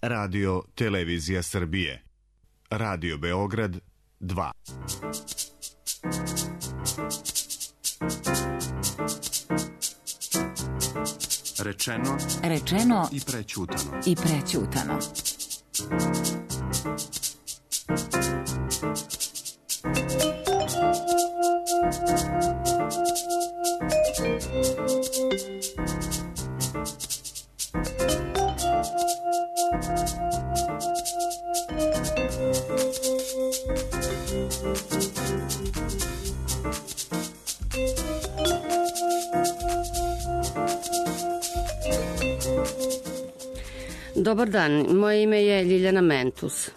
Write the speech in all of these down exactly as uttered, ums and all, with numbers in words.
Radio Televizija Srbije. Radio Beograd dva. Rečeno, rečeno i prećutano. I prećutano. Dobar dan, moje ime je Ljiljana Mentus.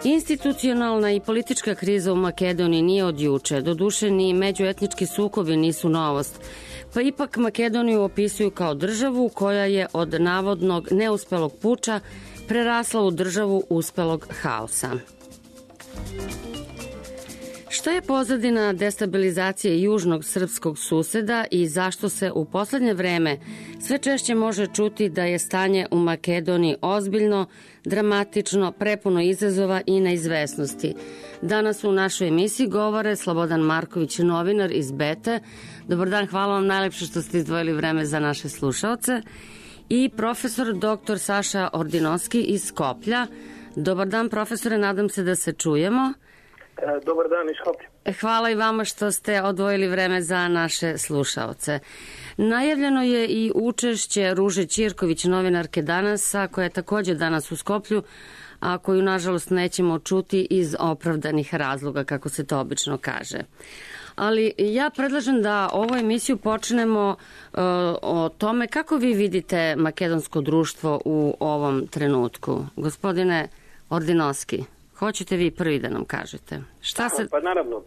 Institucionalna i politička kriza u Makedoniji nije od juče, doduše ni međuetnički sukobi nisu novost, pa ipak Makedoniju opisuju kao državu koja je od navodnog neuspelog puča prerasla u državu uspelog haosa. Šta je pozadina destabilizacije južnog srpskog suseda i zašto se u poslednje vreme sve češće može čuti da je stanje u Makedoniji ozbiljno, dramatično, prepuno izazova i neizvesnosti? Danas u našoj emisiji govore Slobodan Marković, novinar iz Bete. Dobar dan, hvala vam najlepše što ste izdvojili vreme za naše slušaoce. I profesor doktor Saša Ordinovski iz Skoplja. Dobar dan, profesore, nadam se da se čujemo. Dobar dan iz Skoplja. Hvala i vama što ste odvojili vreme za naše slušaoce. Najavljeno je i učešće Ruže Ćirković, novinarke Danasa, koja je takođe danas u Skoplju, a koju nažalost nećemo čuti iz opravdanih razloga, kako se to obično kaže. Ali ja predlažem da ovu emisiju počnemo uh, o tome kako vi vidite makedonsko društvo u ovom trenutku. Gospodine Ordinovski, hoćete vi prvi da nam kažete? Šta se... Pa naravno,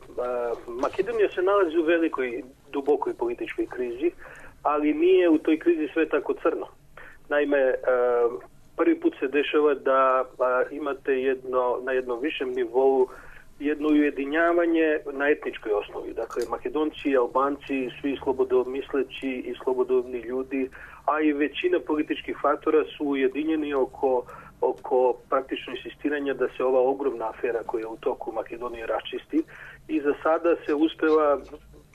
Makedonija se nalazi u velikoj, dubokoj političkoj krizi, ali nije u toj krizi sve tako crno. Naime, prvi put se dešava da imate jedno, na jednom višem nivou jedno ujedinjavanje na etničkoj osnovi. Dakle, Makedonci, Albanci, svi slobodomisleći i slobodovni ljudi, a i većina političkih faktora su ujedinjeni oko oko praktično insistiranja da se ova ogromna afera koja je u toku Makedonije raščisti i za sada se uspeva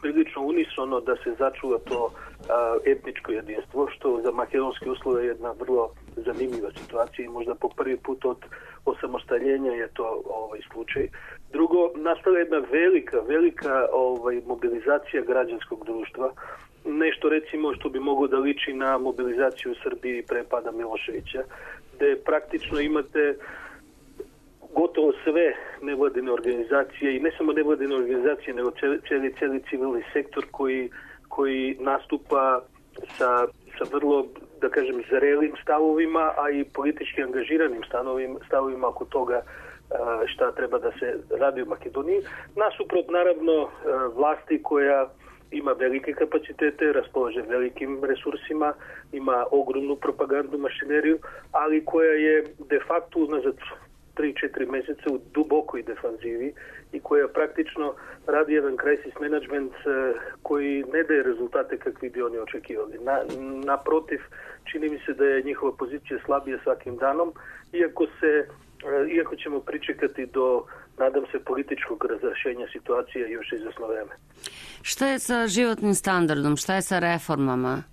prilično unisono da se začuva to a, etničko jedinstvo, što za makedonske uslove je jedna vrlo zanimljiva situacija i možda po prvi put od osamostaljenja je to ovaj slučaj. Drugo, nastala jedna velika, velika ovaj, mobilizacija građanskog društva, nešto recimo što bi moglo da liči na mobilizaciju u Srbiji pre pada Miloševića, gde praktično imate gotovo sve nevladine organizacije i ne samo nevladine organizacije, nego cijeli, cijeli civilni sektor koji, koji nastupa sa, sa vrlo, da kažem, zrelim stavovima, a i politički angažiranim stavovima, stavovima oko toga šta treba da se radi u Makedoniji. Nasuprot, naravno, vlasti koja ima velike kapacitete, raspolaže velikim resursima, ima ogromnu propagandnu mašineriju, ali koja je de facto unazad tri četiri meseca u dubokoj defanzivi i koja praktično radi jedan crisis management koji ne daje rezultate kakvi bi oni očekivali. Na, naprotiv, čini mi se da je njihova pozicija slabija svakim danom, iako se iako ćemo pričekati do, nadam se, političkog razrešenja situacije još izvesno vreme. Šta je sa životnim standardom? Šta je sa reformama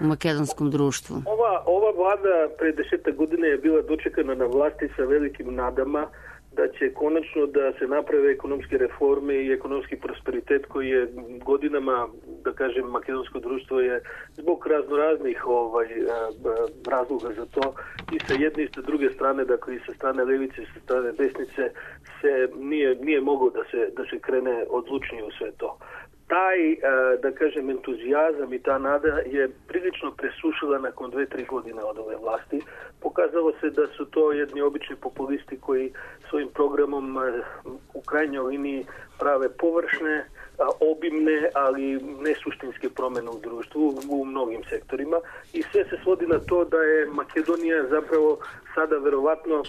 u makedonskom društvu? Ova, ova vlada pre desetak godine je bila dočekana na vlasti sa velikim nadama da će konačno da se naprave ekonomske reforme i ekonomski prosperitet koji je godinama, da kažem, makedonsko društvo je zbog raznoraznih ovaj, razloga za to i sa jedne i sa druge strane, dakle i sa strane levice i sa strane desnice se nije, nije moglo da se, da se krene odlučnije u sve to. Taj, da kažem, entuzijazam i ta nada je prilično presušila nakon dve, tri godine od ove vlasti. Pokazalo se da su to jedni obični populisti koji svojim programom u krajnjoj liniji prave površne, obimne, ali ne suštinske promene u društvu u mnogim sektorima i sve se svodi na to da je Makedonija zapravo sada verovatno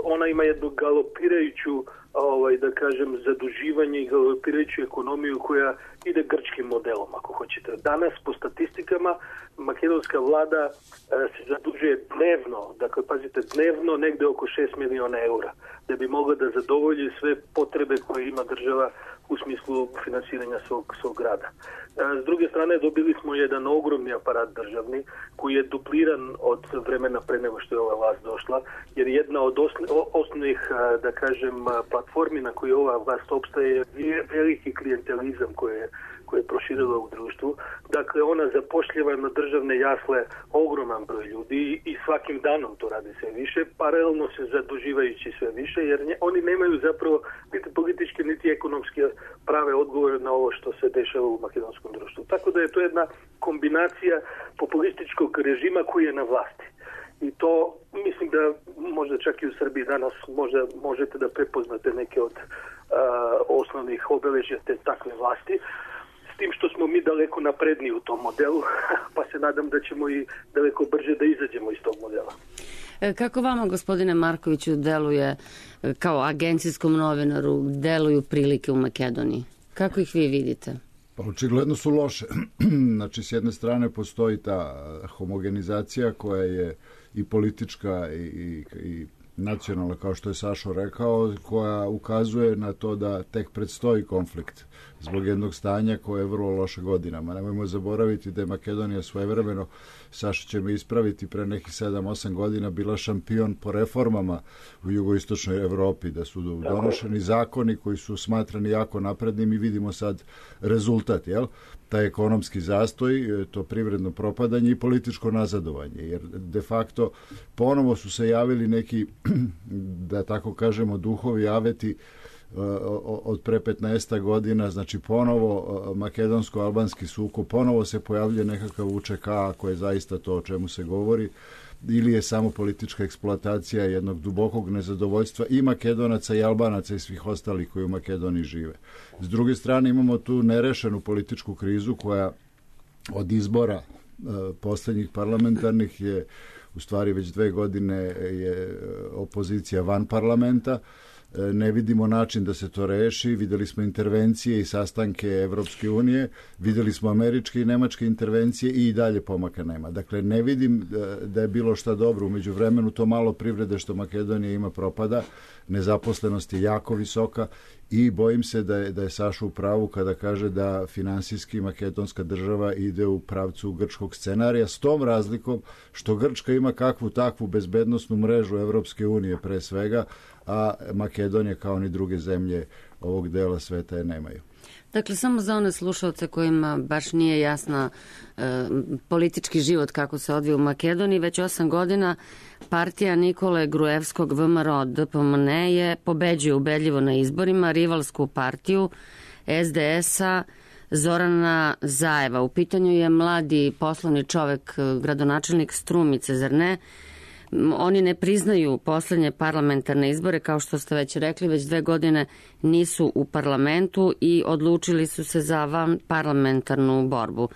ona ima jednu galopirajuću, ovaj, da kažem, zaduživanje i galopirajuću ekonomiju koja ide grčkim modelom, ako hoćete. Danas, po statistikama, makedonska vlada se zadužuje dnevno, dakle, pazite, dnevno negde oko šest miliona eura, da bi mogla da zadovolji sve potrebe koje ima država u smislu finansiranja svog, svog grada. S druge strane, dobili smo jedan ogromni aparat državni koji je dupliran od vremena pre nego što je ova vlast došla, jer jedna od osnovnih, da kažem, platformi na kojoj ova vlast opstaje je veliki klijentelizam koji je koje je proširila u društvu. Dakle, ona zapošljava na državne jasle ogroman broj ljudi i svakim danom to radi sve više, paralelno se zaduživajući sve više, jer nje, oni nemaju zapravo niti političke, niti ekonomske prave odgovore na ovo što se dešava u makedonskom društvu. Tako da je to jedna kombinacija populističkog režima koji je na vlasti. I to, mislim da možda čak i u Srbiji danas možda možete da prepoznate neke od uh, osnovnih obeležja te takve vlasti. S tim što smo mi daleko napredniji u tom modelu, pa se nadam da ćemo i daleko brže da izađemo iz tog modela. Kako vama, gospodine Markoviću, deluje kao agencijskom novinaru, deluju prilike u Makedoniji? Kako ih vi vidite? Pa očigledno su loše. Znači, s jedne strane postoji ta homogenizacija koja je i politička i, i, i nacionalna, kao što je Sašo rekao, koja ukazuje na to da tek predstoji konflikt zbog jednog stanja koje je vrlo loše godinama. Nemojmo zaboraviti da je Makedonija svojevremeno, Saša će me ispraviti, pre nekih sedam osam godina bila šampion po reformama u jugoistočnoj Evropi, da su donošeni zakoni koji su smatrani jako naprednim i vidimo sad rezultat, jel? Taj ekonomski zastoj, to privredno propadanje i političko nazadovanje, jer de facto ponovo su se javili neki, da tako kažemo, duhovi aveti od pre petnaest godina, znači ponovo makedonsko-albanski sukob, ponovo se pojavljuje nekakav U Č K ako je zaista to o čemu se govori, ili je samo politička eksploatacija jednog dubokog nezadovoljstva i Makedonaca i Albanaca i svih ostalih koji u Makedoniji žive. S druge strane imamo tu nerešenu političku krizu koja od izbora e, posljednjih parlamentarnih je u stvari već dve godine je opozicija van parlamenta. Ne vidimo način da se to reši, videli smo intervencije i sastanke Evropske unije, videli smo američke i nemačke intervencije i dalje pomaka nema. Dakle, ne vidim da je bilo šta dobro. Umeđu vremenu to malo privrede što Makedonija ima propada, nezaposlenost je jako visoka i bojim se da je, da je Saša u pravu kada kaže da finansijski makedonska država ide u pravcu grčkog scenarija, s tom razlikom što Grčka ima kakvu takvu bezbednosnu mrežu Evropske unije pre svega, a Makedonija kao ni druge zemlje ovog dela sveta je nemaju. Dakle, samo za one slušalce kojima baš nije jasna e, politički život kako se odvija u Makedoniji, već osam godina partija Nikole Gruevskog V M R O D P M N je pobeđuje ubedljivo na izborima rivalsku partiju S D S-a Zorana Zajeva. U pitanju je mladi poslovni čovek, gradonačelnik Strumice, zar ne? Oni ne priznaju poslednje parlamentarne izbore, kao što ste već rekli, već dve godine nisu u parlamentu i odlučili su se za van parlamentarnu borbu.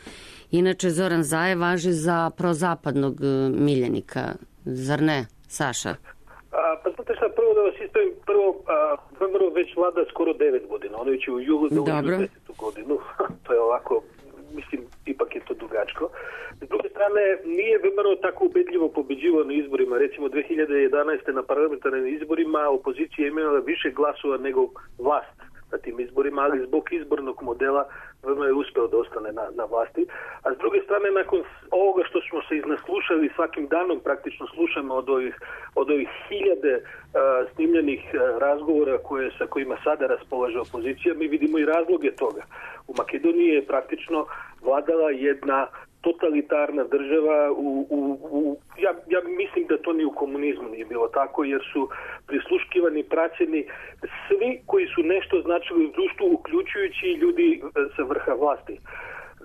Inače, Zoran Zajev važi za prozapadnog miljenika, zar ne, Saša? A, pa znate šta, prvo da vas ispravim, prvo, V M R O već vlada skoro devet godina, ono će u julu da uđu desetu godinu, to je ovako, mislim, ipak je to dugačko. S druge strane, nije V M R O tako ubedljivo pobeđivao na izborima. Recimo, dve hiljade jedanaeste. na parlamentarnim izborima opozicija je imala više glasova nego vlast na tim izborima, ali zbog izbornog modela V M R O je uspeo da ostane na, na vlasti. A s druge strane, nakon ovoga što smo se iznaslušali, svakim danom praktično slušamo od ovih, od ovih hiljade uh, snimljenih uh, razgovora koje, sa kojima sada raspolaže opozicija, mi vidimo i razloge toga. U Makedoniji je praktično vladala jedna totalitarna država, u, u, u, ja, ja mislim da to ni u komunizmu nije bilo tako, jer su prisluškivani, praćeni svi koji su nešto značili u društvu, uključujući ljudi sa vrha vlasti.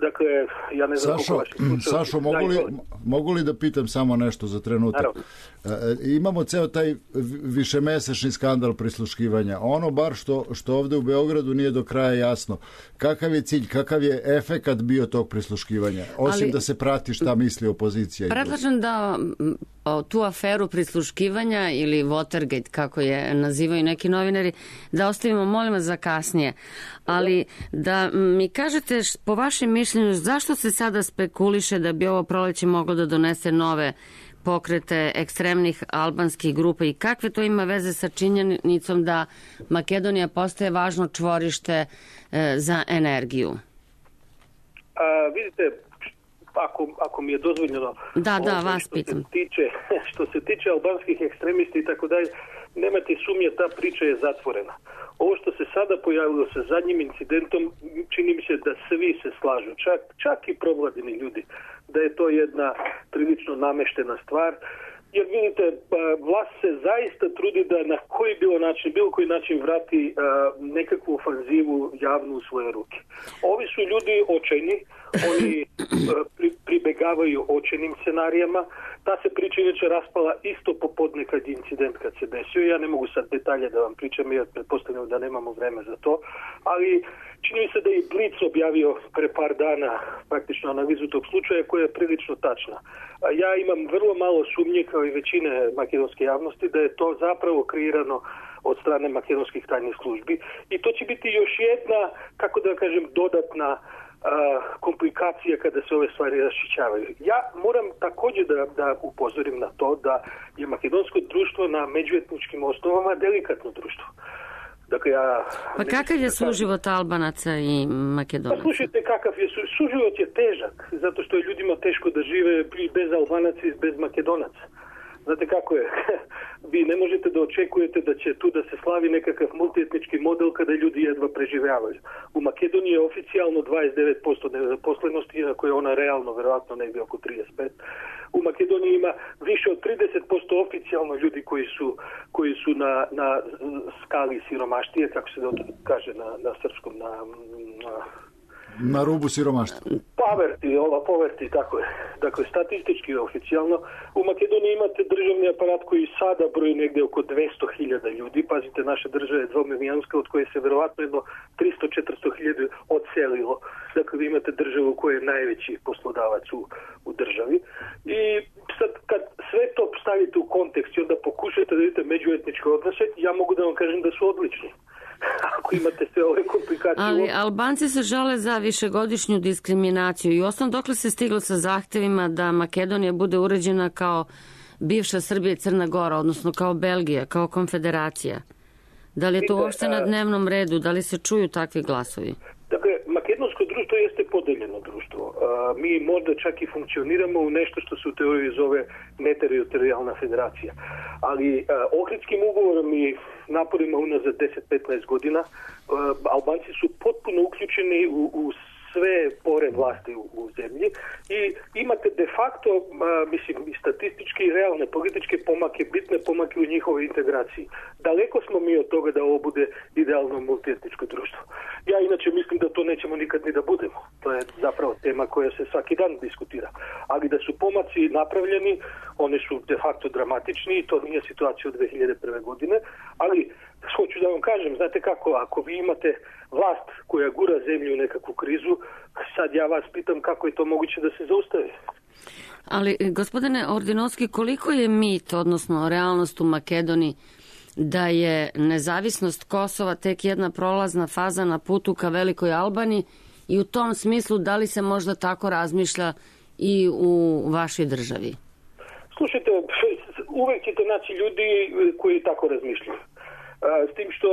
Dakle, ja ne znam Sašo, Sašo mogu, li, mogu li da pitam samo nešto za trenutak? E, imamo ceo taj višemesečni skandal prisluškivanja. Ono bar što, što ovde u Beogradu nije do kraja jasno. Kakav je cilj, kakav je efekat bio tog prisluškivanja? Osim Ali, da se prati šta misli opozicija. Predlažem da o, tu aferu prisluškivanja ili Watergate, kako je nazivaju neki novinari, da ostavimo, molim vas, za kasnije. Ali da mi kažete, po vašem mišljenju, zašto se sada spekuliše da bi ovo proleće moglo da donese nove pokrete ekstremnih albanskih grupa i kakve to ima veze sa činjenicom da Makedonija postaje važno čvorište e, za energiju? A, vidite, ako, ako mi je dozvoljeno, da, da, ovo, vas što pitam. Se tiče, što se tiče albanskih ekstremisti i tako dalje, nemate sumnje, ta priča je zatvorena. Ovo što se sada pojavilo sa zadnjim incidentom, čini mi se da svi se slažu, čak, čak i provladini ljudi, da je to jedna prilično nameštena stvar. Jer vidite, vlast se zaista trudi da na koji bilo način, bilo koji način vrati uh, nekakvu ofanzivu javnu u svoje ruke. Ovi su ljudi očajni, oni uh, pri, pribegavaju očajnim scenarijama. Ta se priča inače raspala isto popodne kad je incident kad se desio. Ja ne mogu sad detalje da vam pričam, jer pretpostavljam da nemamo vreme za to. Ali čini mi se da je Blic objavio pre par dana praktično analizu tog slučaja koja je prilično tačna. Ja imam vrlo malo sumnje, kao i većine makedonske javnosti, da je to zapravo kreirano od strane makedonskih tajnih službi. I to će biti još jedna, kako da kažem, dodatna a, komplikacija kada se ove stvari raščićavaju. Ja moram također da, da upozorim na to da je makedonsko društvo na međuetničkim osnovama delikatno društvo. Dakle, ja pa kakav je suživot Albanaca i Makedonaca? Pa slušajte, kakav je su, suživot je težak, zato što je ljudima teško da žive bez Albanaca i bez Makedonaca. Znate kako je? Vi ne možete da očekujete da će tu da se slavi nekakav multietnički model kada ljudi jedva preživljavaju. U Makedoniji je oficijalno dvadeset devet posto nezaposlenosti, iako je ona realno verovatno negdje oko trideset pet. U Makedoniji ima više od trideset posto oficijalno ljudi koji su, koji su na, na skali siromaštije, kako se to kaže na, na srpskom, na... na Na rubu siromaštva. Poverty, ova poverty, tako je. Dakle, statistički je oficijalno. U Makedoniji imate državni aparat koji sada broji negdje oko dvesta hiljada ljudi. Pazite, naša država je dvomilijonska, od koje se verovatno jedno tristo do četiristo hiljada odselilo. Dakle, vi imate državu koja je najveći poslodavac u, u državi. I sad, kad sve to stavite u kontekst i onda pokušate da vidite međuetničke odnose, ja mogu da vam kažem da su odlični. Ako imate sve ove komplikacije. Ali Albanci se žale za višegodišnju diskriminaciju i osnovno dokle se stiglo sa zahtevima da Makedonija bude uređena kao bivša Srbija i Crna Gora, odnosno kao Belgija, kao konfederacija. Da li je to uopšte na dnevnom redu? Da li se čuju takvi glasovi? Dakle, makedonsko društvo jeste podeljeno društvo. Mi možda čak i funkcioniramo u nešto što se u teoriji zove neteritorijalna federacija. Ali Ohridskim ugovorom i naporima unazad deset do petnaest godina Albanci su potpuno uključeni u, u sve pore vlasti u, u zemlji i imate de facto, a, mislim, i statistički i realne političke pomake, bitne pomake u njihovoj integraciji. Daleko smo mi od toga da ovo bude idealno multietničko društvo. Ja inače mislim da to nećemo nikad ni da budemo. To je zapravo tema koja se svaki dan diskutira. Ali da su pomaci napravljeni, oni su de facto dramatični i to nije situacija od dve hiljade prve. godine, ali hoću da vam kažem, znate kako, ako vi imate vlast koja gura zemlju u nekakvu krizu, sad ja vas pitam kako je to moguće da se zaustavi. Ali, gospodine Ordinovski, koliko je mit, odnosno realnost u Makedoniji, da je nezavisnost Kosova tek jedna prolazna faza na putu ka Velikoj Albaniji i u tom smislu da li se možda tako razmišlja i u vašoj državi? Slušajte, uvek ćete naći ljudi koji tako razmišljaju. S tim što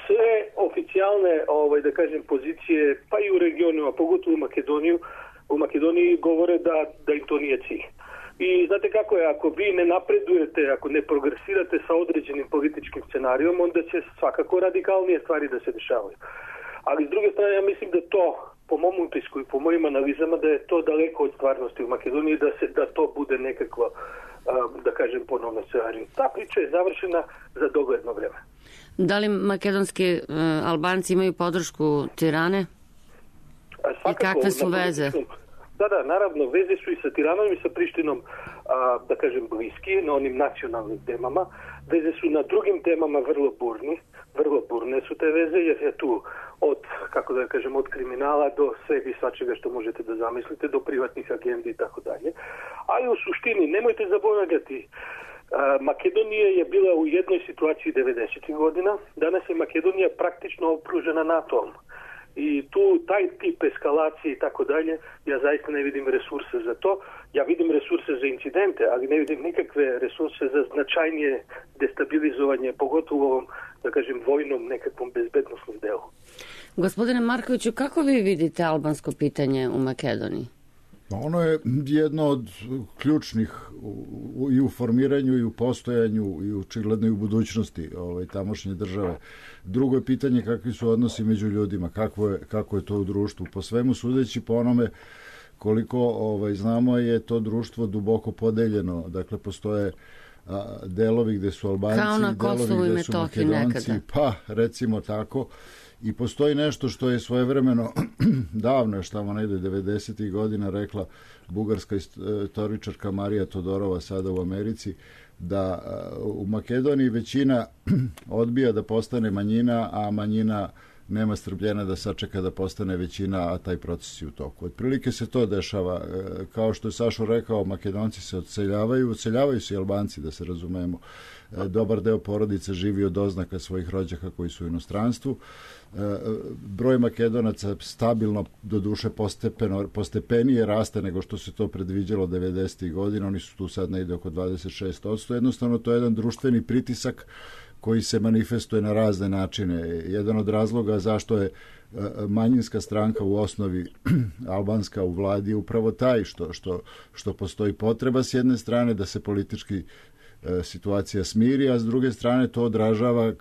sve oficijalne, ovaj, da kažem, pozicije, pa i u regionu, a pogotovo u Makedoniju, u Makedoniji govore da, da im to nije cilj. I znate kako je, ako vi ne napredujete, ako ne progresirate sa određenim političkim scenarijom, onda će svakako radikalnije stvari da se dešavaju. Ali s druge strane, ja mislim da to, po mom utisku i po mojim analizama, da je to daleko od stvarnosti u Makedoniji, da se da to bude nekakvo, da kažem, ponovno scenarij. Ta priča je završena za dogledno vreme. Da li makedonski uh, Albanci imaju podršku Tirane? Svakako, i kakve su veze? Da, da, naravno, veze su i sa Tiranom i sa Prištinom, a, da kažem, bliski, na onim nacionalnim temama. Veze su na drugim temama vrlo burni, vrlo burne su te veze, jer je tu od, kako da kažem, od kriminala do svega i svačega što možete da zamislite, do privatnih agendi i tako dalje. Ali u suštini, nemojte zaboravljati, Makedonija je bila u jednoj situaciji devedesetih godina, danas je Makedonija praktično okružena NATO-om. I tu taj tip eskalacije i tako dalje, ja zaista ne vidim resurse za to. Ja vidim resurse za incidente, ali ne vidim nikakve resurse za značajnije destabilizovanje, pogotovo u ovom, da kažem, vojnom nekakvom bezbednostnom delu. Gospodine Markoviću, kako vi vidite albansko pitanje u Makedoniji? Ono je jedno od ključnih u, i u formiranju i u postojanju i očigledno i u budućnosti ovaj, tamošnje države. Drugo je pitanje kakvi su odnosi među ljudima, kako je, kako je to u društvu. Po svemu sudeći, po onome koliko ovaj, znamo je to društvo duboko podeljeno. Dakle, postoje a, delovi gde su Albanci, delovi gde su Makedonci, nekada. Pa recimo tako. I postoji nešto što je svojevremeno, davno je što negde devedesetih godina rekla bugarska istoričarka Marija Todorova sada u Americi, da u Makedoniji većina odbija da postane manjina, a manjina nema strpljenja da sačeka da postane većina, a taj proces je u toku. Otprilike se to dešava. Kao što je Sašo rekao, Makedonci se odseljavaju, odseljavaju se i Albanci, da se razumemo. Dobar deo porodice živi od oznaka svojih rođaka koji su u inostranstvu. Broj Makedonaca stabilno, do duše postepeno, postepenije raste nego što se to predviđalo devedesetih godina. Oni su tu sad negde oko dvadeset šest posto. Jednostavno, to je jedan društveni pritisak koji se manifestuje na razne načine. Jedan od razloga zašto je manjinska stranka u osnovi albanska u vladi je upravo taj što, što, što postoji potreba s jedne strane da se politički situacija smiri, a s druge strane to odražava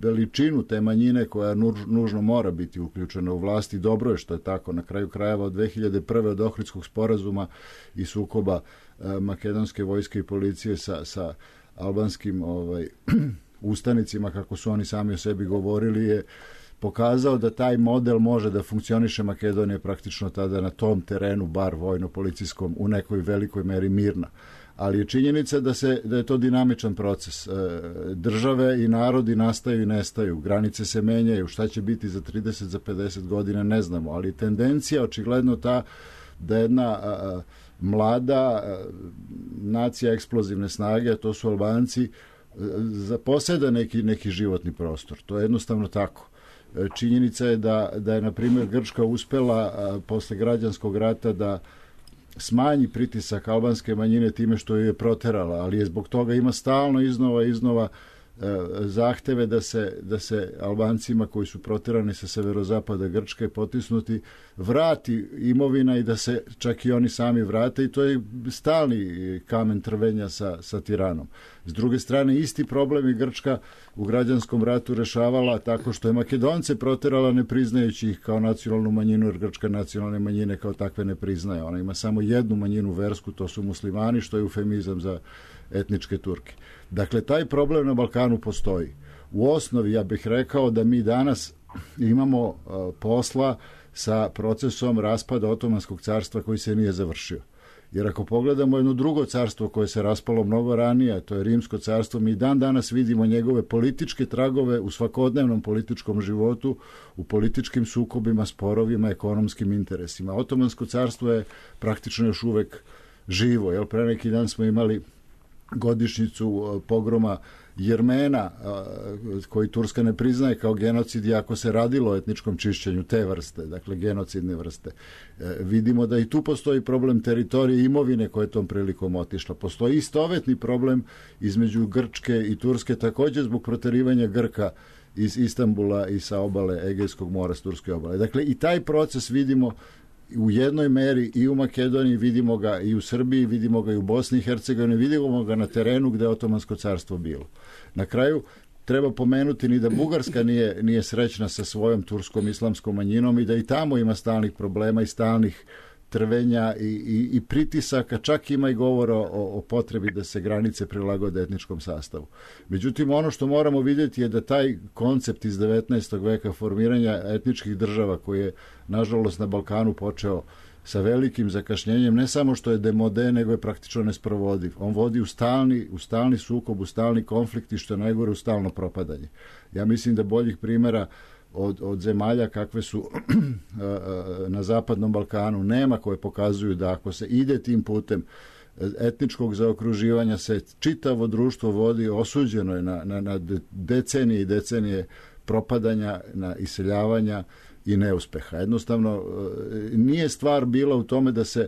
veličinu te manjine koja nužno mora biti uključena u vlast i dobro je što je tako. Na kraju krajeva od dve hiljade prve od Ohridskog sporazuma i sukoba makedonske vojske i policije sa, sa albanskim ovaj, ustanicima, kako su oni sami o sebi govorili, je pokazao da taj model može da funkcioniše. Makedonija praktično tada na tom terenu, bar vojno-policijskom, u nekoj velikoj meri mirna. Ali je činjenica da, se, da je to dinamičan proces. Države i narodi nastaju i nestaju, granice se menjaju, šta će biti za trideset, za pedeset godina ne znamo, ali tendencija očigledno ta da jedna a, mlada a, nacija eksplozivne snage, a to su Albanci, zaposeda neki, neki životni prostor. To je jednostavno tako. Činjenica je da, da je, na primjer, Grčka uspela a, posle građanskog rata da smanji pritisak albanske manjine time što ju je proterala, ali je zbog toga ima stalno iznova iznova e, zahteve da se, da se Albancima koji su proterani sa severozapada Grčke potisnuti vrati imovina i da se čak i oni sami vrate, i to je stalni kamen trvenja sa, sa Tiranom. S druge strane, isti problem i Grčka u građanskom ratu rešavala tako što je Makedonce proterala ne priznajući ih kao nacionalnu manjinu, jer Grčka nacionalne manjine kao takve ne priznaje. Ona ima samo jednu manjinu versku, to su muslimani, što je eufemizam za etničke Turke. Dakle, taj problem na Balkanu postoji. U osnovi, ja bih rekao da mi danas imamo uh, posla sa procesom raspada Otomanskog carstva koji se nije završio. Jer ako pogledamo jedno drugo carstvo koje se raspalo mnogo ranije, to je Rimsko carstvo, mi dan danas vidimo njegove političke tragove u svakodnevnom političkom životu, u političkim sukobima, sporovima, ekonomskim interesima. Otomansko carstvo je praktično još uvek živo. Jel, pre neki dan smo imali godišnjicu pogroma Jermena, koji Turska ne priznaje kao genocid, iako se radilo o etničkom čišćenju te vrste, dakle genocidne vrste. E, vidimo da i tu postoji problem teritorije imovine koja je tom prilikom otišla. Postoji istovetni problem između Grčke i Turske, također zbog proterivanja Grka iz Istanbula i sa obale Egejskog mora, s turske obale. Dakle, i taj proces vidimo u jednoj meri i u Makedoniji, vidimo ga i u Srbiji, vidimo ga i u Bosni i Hercegovini, vidimo ga na terenu gde je Otomansko carstvo bilo. Na kraju treba pomenuti ni da Bugarska nije, nije srećna sa svojom turskom islamskom manjinom i da i tamo ima stalnih problema i stalnih trvenja i, i, i pritisaka, čak ima i govora o, o potrebi da se granice prilagode etničkom sastavu. Međutim, ono što moramo vidjeti je da taj koncept iz devetnaestog veka formiranja etničkih država, koji je nažalost na Balkanu počeo sa velikim zakašnjenjem, ne samo što je demode, nego je praktično nesprovodiv. On vodi u stalni, u stalni sukob, u stalni konflikt i što je najgore u stalno propadanje. Ja mislim da boljih primjera od, od zemalja kakve su na Zapadnom Balkanu. Nema koje pokazuju da ako se ide tim putem etničkog zaokruživanja se čitavo društvo vodi, osuđeno je na, na, na decenije i decenije propadanja, na iseljavanja i neuspeha. Jednostavno, nije stvar bila u tome da se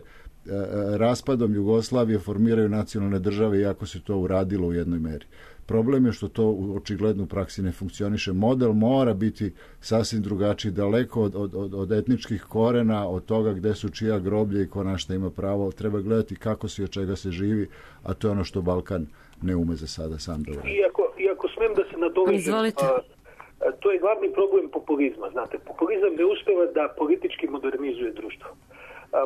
raspadom Jugoslavije formiraju nacionalne države, iako se to uradilo u jednoj meri. Problem je što to u očigledno u praksi ne funkcioniše. Model mora biti sasvim drugačiji, daleko od, od, od etničkih korena, od toga gde su čija groblje i ko na šta ima pravo. Treba gledati kako se i od čega se živi, a to je ono što Balkan ne ume za sada sam da uradi. Iako, iako smem da se nadovežem, to je glavni problem populizma. Znate, populizam ne uspeva da politički modernizuje društvo.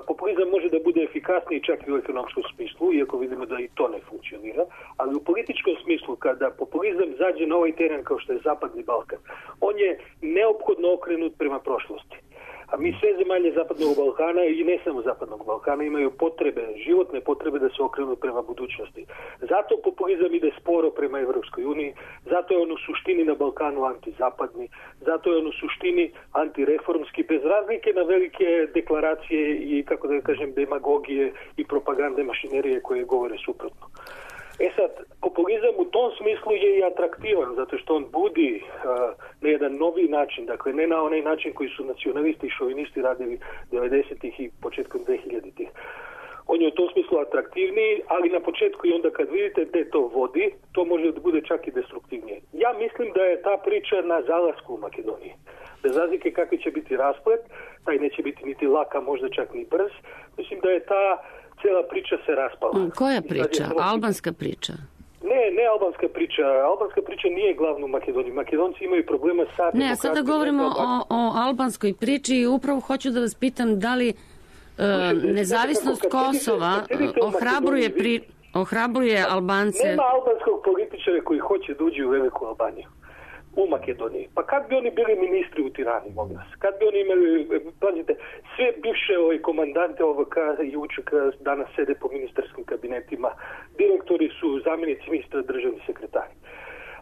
Populizam može da bude efikasniji čak i u ekonomskom smislu, iako vidimo da i to ne funkcionira, ali u političkom smislu, kada populizam zađe na ovaj teren kao što je Zapadni Balkan, on je neophodno okrenut prema prošlosti. A mi sve zemalje Zapadnog Balkana i ne samo Zapadnog Balkana imaju potrebe, životne potrebe da se okrenu prema budućnosti. Zato populizam ide sporo prema Evropskoj uniji, zato je on u suštini na Balkanu antizapadni, zato je on u suštini antireformski, bez razlike na velike deklaracije i, kako da kažem, demagogije i propagande mašinerije koje govore suprotno. E sad, populizam u tom smislu je i atraktivan, zato što on budi uh, na jedan novi način, dakle ne na onaj način koji su nacionalisti i šovinisti radili devedesetih i početkom dvehiljaditih. On je u tom smislu atraktivniji, ali na početku i onda kad vidite gde to vodi, to može da bude čak i destruktivnije. Ja mislim da je ta priča na zalasku u Makedoniji. Bez razlike kakvi će biti rasplet, taj neće biti niti laka, možda čak ni brz. Mislim da je ta cijela priča se raspala. Koja priča? Albanska priča? Ne, ne albanska priča. Albanska priča nije glavna u Makedoniji. Makedonci imaju problema sa demokratijom. Ne, sada govorimo o, o albanskoj priči i upravo hoću da vas pitam da li uh, nezavisnost Kosova ohrabruje, pri, ohrabruje Albance... Nema albanskog političara koji hoće da uđe u Veliku Albaniju. U Makedoniji. Pa kad bi oni bili ministri u Tirani, molim vas? Kad bi oni imali, pazite, sve bivše ovaj, komandante O V K i U Č K danas sede po ministarskim kabinetima, direktori su zamjenici ministra, državni sekretari.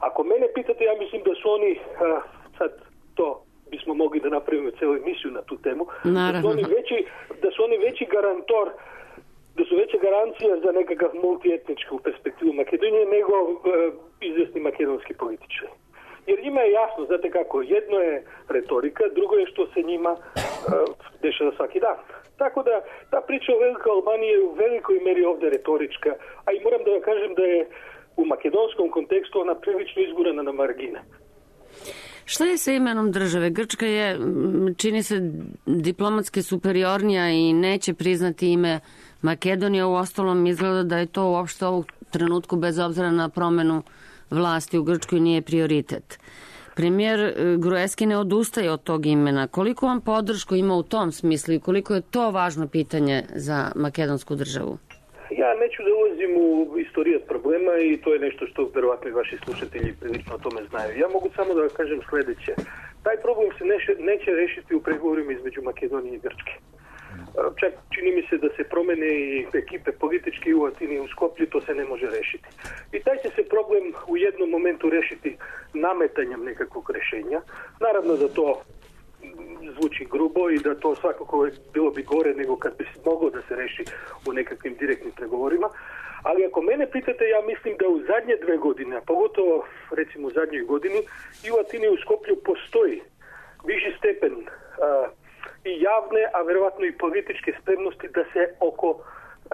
Ako mene pitate, ja mislim da su oni, a, sad to bismo mogli da napravimo celu emisiju na tu temu, da su, oni veći, da su oni veći garantor, da su veća garancija za nekakav multietničku perspektivu Makedonije nego a, izvesni makedonski političari. Jer njima je jasno, znate kako, jedno je retorika, drugo je što se njima uh, dešava svaki dan. Tako da ta priča o Velikoj Albaniji je u velikoj meri ovdje retorička, a i moram da vam kažem da je u makedonskom kontekstu ona prilično izgurana na margine. Šta je sa imenom države? Grčka je, čini se, diplomatski superiornija i neće priznati ime Makedonija. U ostalom izgleda da je to uopšte ovog trenutku, bez obzira na promenu vlasti u Grčkoj, nije prioritet. Premijer Gruevski ne odustaje od tog imena. Koliko on podršku ima u tom smislu i koliko je to važno pitanje za makedonsku državu? Ja neću da ulazim u istorijat problema i to je nešto što verovatno i vaši slušatelji prilično o tome znaju. Ja mogu samo da kažem sledeće. Taj problem se neće, neće rešiti u pregovorima između Makedonije i Grčke. Čak čini mi se da se promene i ekipe politički u Atini i u Skoplju, to se ne može rešiti. I taj će se problem u jednom momentu rešiti nametanjem nekakvog rešenja. Naravno da to zvuči grubo i da to svakako bilo bi gore nego kad bi moglo da se reši u nekakvim direktnim pregovorima. Ali ako mene pitate, ja mislim da u zadnje dve godine, a pogotovo recimo u zadnjoj godini, i u Atini i u Skoplju postoji viši stepen a, i javne, a verovatno i političke spremnosti da se oko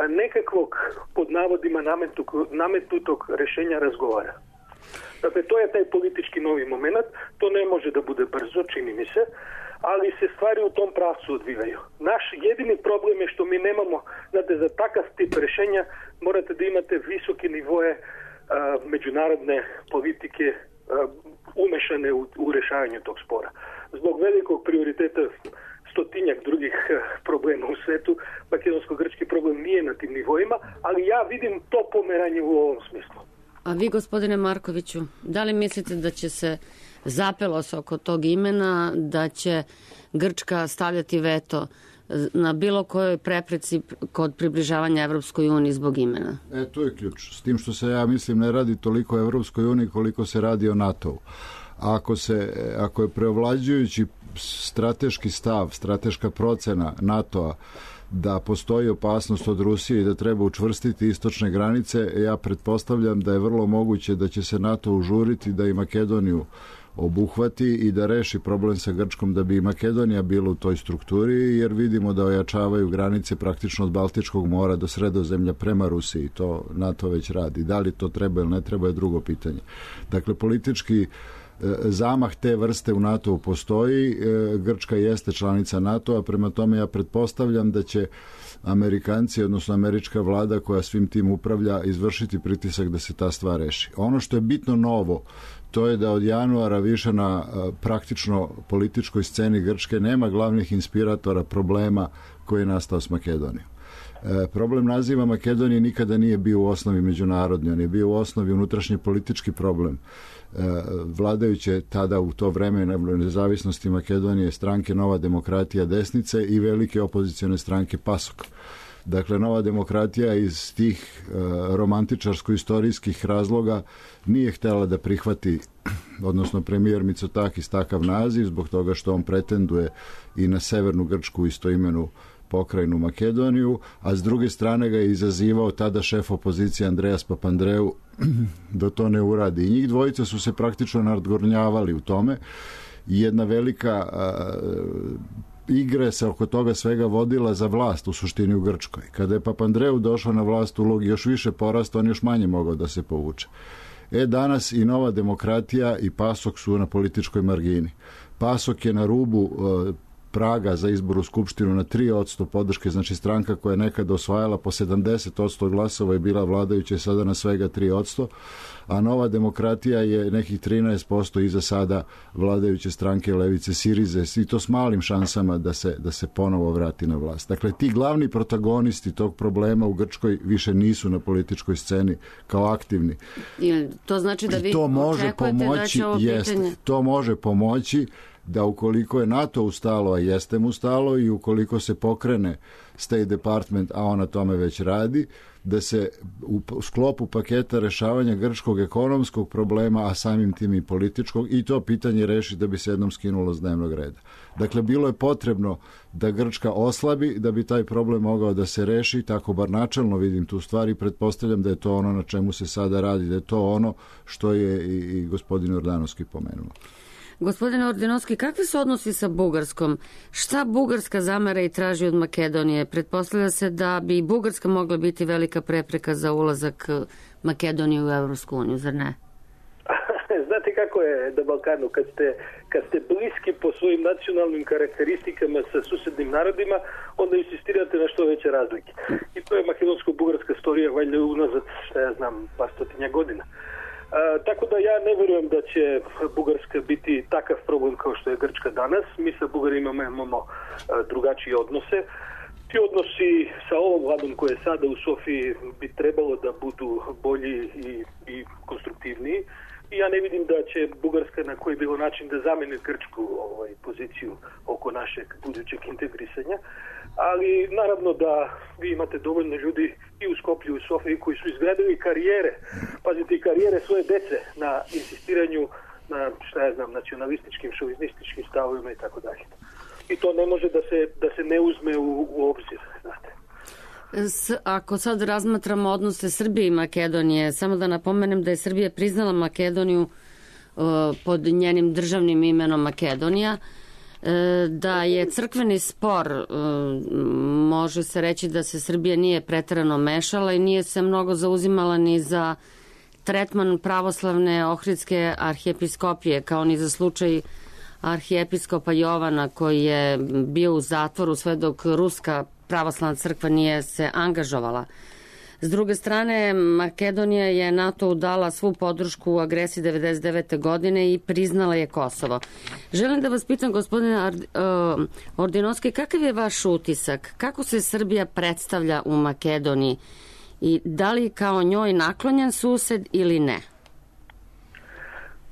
nekakvog, pod navodima, nametnutog rešenja razgovara. Dakle, to je taj politički novi moment, to ne može da bude brzo, čini mi se, ali se stvari u tom pravcu odvijaju. Naš jedini problem je što mi nemamo, znate, za takav tip rešenja morate da imate visoke nivoje a, međunarodne politike a, umešane u, u rešavanju tog spora. Zbog velikog prioriteta stotinjak drugih problema u svetu, makedonsko-grčki problem nije na tim nivoima, ali ja vidim to pomeranje u ovom smislu. A vi, gospodine Markoviću, da li mislite da će se zapelo se oko tog imena, da će Grčka stavljati veto na bilo kojoj prepreci kod približavanja Evropskoj uniji zbog imena? E, to je ključ. S tim što se, ja mislim, ne radi toliko o Evropskoj uniji koliko se radi o NATO-u. ako, se, ako je preovlađujući strateški stav, strateška procena NATO-a da postoji opasnost od Rusije i da treba učvrstiti istočne granice, ja pretpostavljam da je vrlo moguće da će se NATO užuriti da i Makedoniju obuhvati i da reši problem sa Grčkom, da bi i Makedonija bila u toj strukturi, jer vidimo da ojačavaju granice praktično od Baltičkog mora do Sredozemlja prema Rusiji. To NATO već radi. Da li to treba ili ne treba je drugo pitanje. Dakle, politički zamah te vrste u NATO-u postoji. Grčka jeste članica NATO-a, prema tome ja pretpostavljam da će Amerikanci, odnosno američka vlada koja svim tim upravlja, izvršiti pritisak da se ta stvar reši. Ono što je bitno novo, to je da od januara više na praktično političkoj sceni Grčke nema glavnih inspiratora problema koji je nastao s Makedonijom. E, problem naziva Makedonije nikada nije bio u osnovi međunarodni, on je bio u osnovi unutrašnji politički problem. E, vladajuće tada u to vreme nezavisnosti Makedonije stranke Nova demokratija desnice i velike opozicione stranke PASOK. Dakle, Nova demokratija iz tih e, romantičarsko-istorijskih razloga nije htjela da prihvati, odnosno premijer Mitsotakis, takav naziv, zbog toga što on pretenduje i na severnu Grčku istoimenu pokrajinu Makedoniju, a s druge strane ga je izazivao tada šef opozicije Andreas Papandreou da to ne uradi. I njih dvojica su se praktično nadgornjavali u tome i jedna velika a, igre se oko toga svega vodila za vlast u suštini u Grčkoj. Kada je Papandreou došao na vlast, ulog još više porasta, on još manje mogao da se povuče. E, danas i Nova demokratija i PASOK su na političkoj margini. PASOK je na rubu uh, praga za izbor u Skupštinu na tri posto podrške, znači stranka koja je nekada osvajala po sedamdeset posto glasova i bila vladajuća sada na svega tri posto, a Nova demokratija je nekih trinaest posto iza sada vladajuće stranke levice Sirize, i to s malim šansama da se, da se ponovo vrati na vlast. Dakle, ti glavni protagonisti tog problema u Grčkoj više nisu na političkoj sceni kao aktivni. I to znači da vi to može očekujete pomoći, da će ovo jest, pitanje... To može pomoći da ukoliko je NATO ustalo, a jeste mu stalo, i ukoliko se pokrene State Department, a on na tome već radi, da se u sklopu paketa rešavanja grčkog ekonomskog problema, a samim tim i političkog, i to pitanje reši da bi se jednom skinulo s dnevnog reda. Dakle, bilo je potrebno da Grčka oslabi da bi taj problem mogao da se reši, tako bar načelno vidim tu stvar i pretpostavljam da je to ono na čemu se sada radi, da je to ono što je i, i gospodin Ordanovski pomenuo. Gospodine Ordinovski, kakvi su odnosi sa Bugarskom? Šta Bugarska zamera i traži od Makedonije? Pretpostavlja se da bi i Bugarska mogla biti velika prepreka za ulazak Makedonije u Evropsku uniju, zar ne? Znate kako je na Balkanu, kad ste, kad ste bliski po svojim nacionalnim karakteristikama sa susednim narodima, onda insistirate na što veće razlike. I to je makedonsko-bugarska storija valjda unazad, šta ja znam, par stotinja godina. A, tako da ja ne vjerujem da će Bugarska biti takav problem kao što je Grčka danas. Mi sa Bugarima imamo a, drugačije odnose. Ti odnosi sa ovom vladom koja je sada u Sofiji bi trebalo da budu bolji i, i konstruktivniji. I ja ne vidim da će Bugarska na koji bilo način da zameni Grčku ovaj, poziciju oko našeg budućeg integrisanja. Ali naravno da vi imate dovoljno ljudi i u Skoplju i u Sofiji koji su izgradili karijere, pazite, karijere svoje dece na insistiranju na, šta ja znam, nacionalističkim, šovinističkim stavovima i tako dalje. I to ne može da se, da se ne uzme u, u obzir, znate. S, ako sad razmatramo odnose Srbije i Makedonije, samo da napomenem da je Srbija priznala Makedoniju uh, pod njenim državnim imenom Makedonija, uh, da je crkveni spor, uh, može se reći da se Srbija nije preterano mešala i nije se mnogo zauzimala ni za tretman pravoslavne Ohridske arhijepiskopije, kao ni za slučaj arhijepiskopa Jovana koji je bio u zatvoru sve dok ruska pravoslavna crkva nije se angažovala. S druge strane, Makedonija je NATO dala svu podršku u agresiji devedeset devete godine i priznala je Kosovo. Želim da vas pitam, gospodine Ordinovski, kakav je vaš utisak? Kako se Srbija predstavlja u Makedoniji? I da li kao njoj naklonjen sused ili ne?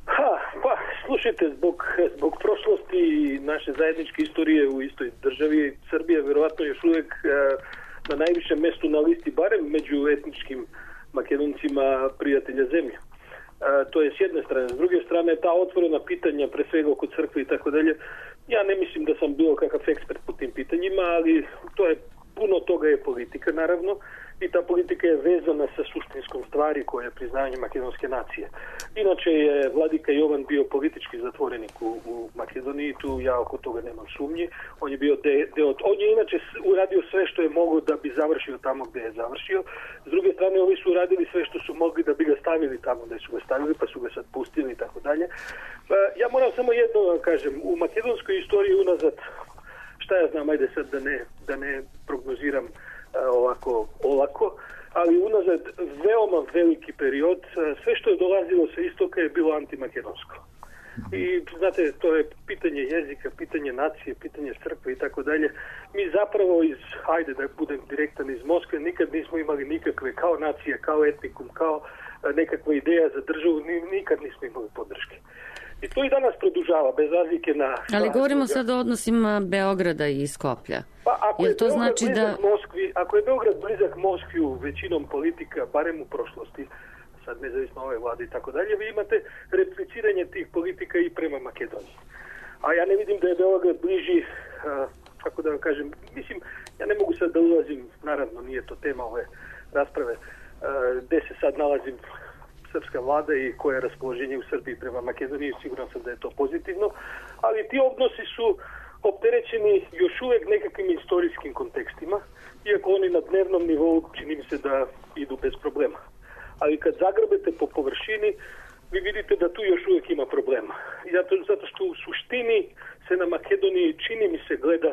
Ha, pa, slušajte, zbog, zbog prošlosti i naše zajedničke istorije u istoj državi, Srbija verovatno još uvijek na najvišem mestu na listi, barem među etničkim Makedoncima prijatelja zemlje. To je s jedne strane. S druge strane, ta otvorena pitanja, pre svega oko crkve i tako dalje, ja ne mislim da sam bio kakav ekspert po tim pitanjima, ali to je, puno toga je politika, naravno, i ta politika je vezana sa suštinskom stvari koja je priznanje makedonske nacije. Inače je vladika Jovan bio politički zatvorenik u, u Makedoniji, tu ja oko toga nemam sumnji. On je bio de, de, on je inače uradio sve što je mogao da bi završio tamo gde je završio. S druge strane, ovi su uradili sve što su mogli da bi ga stavili tamo gde su ga stavili, pa su ga sad pustili i tako dalje. Ja moram samo jedno da kažem, u makedonskoj istoriji unazad, šta ja znam, ajde sad da ne, da ne prognoziram ovako olako, ali unazad veoma veliki period, sve što je dolazilo sa istoka je bilo antimakedonsko. I znate, to je pitanje jezika, pitanje nacije, pitanje crkve i tako dalje. Mi zapravo iz, ajde da budem direktan, iz Moskve nikad nismo imali nikakve, kao nacija, kao etnikum, kao nekakva ideja za državu, nikad nismo imali podrške. I to i danas produžava, bez razlike na... Ali govorimo sad o odnosima Beograda i Skoplja. Pa ako Jer je, to Beograd znači blizak da... Moskvi, ako je Beograd blizak Moskviju većinom politika, barem u prošlosti, sad nezavisno ove vlade i tako dalje, vi imate repliciranje tih politika i prema Makedoniji. A ja ne vidim da je Beograd bliži, a, kako da vam kažem, mislim, ja ne mogu sad da ulazim, naravno nije to tema ove rasprave, a, gde se sad nalazim srpska vlada i koje je raspoloženje u Srbiji prema Makedoniji, siguran sam da je to pozitivno, ali ti odnosi su opterećeni još uvek nekakvim istorijskim kontekstima, iako oni na dnevnom nivou čini mi se da idu bez problema. Ali kad zagrabete po površini, vi vidite da tu još uvek ima problema. Zato, zato što u suštini se na Makedoniji čini mi se gleda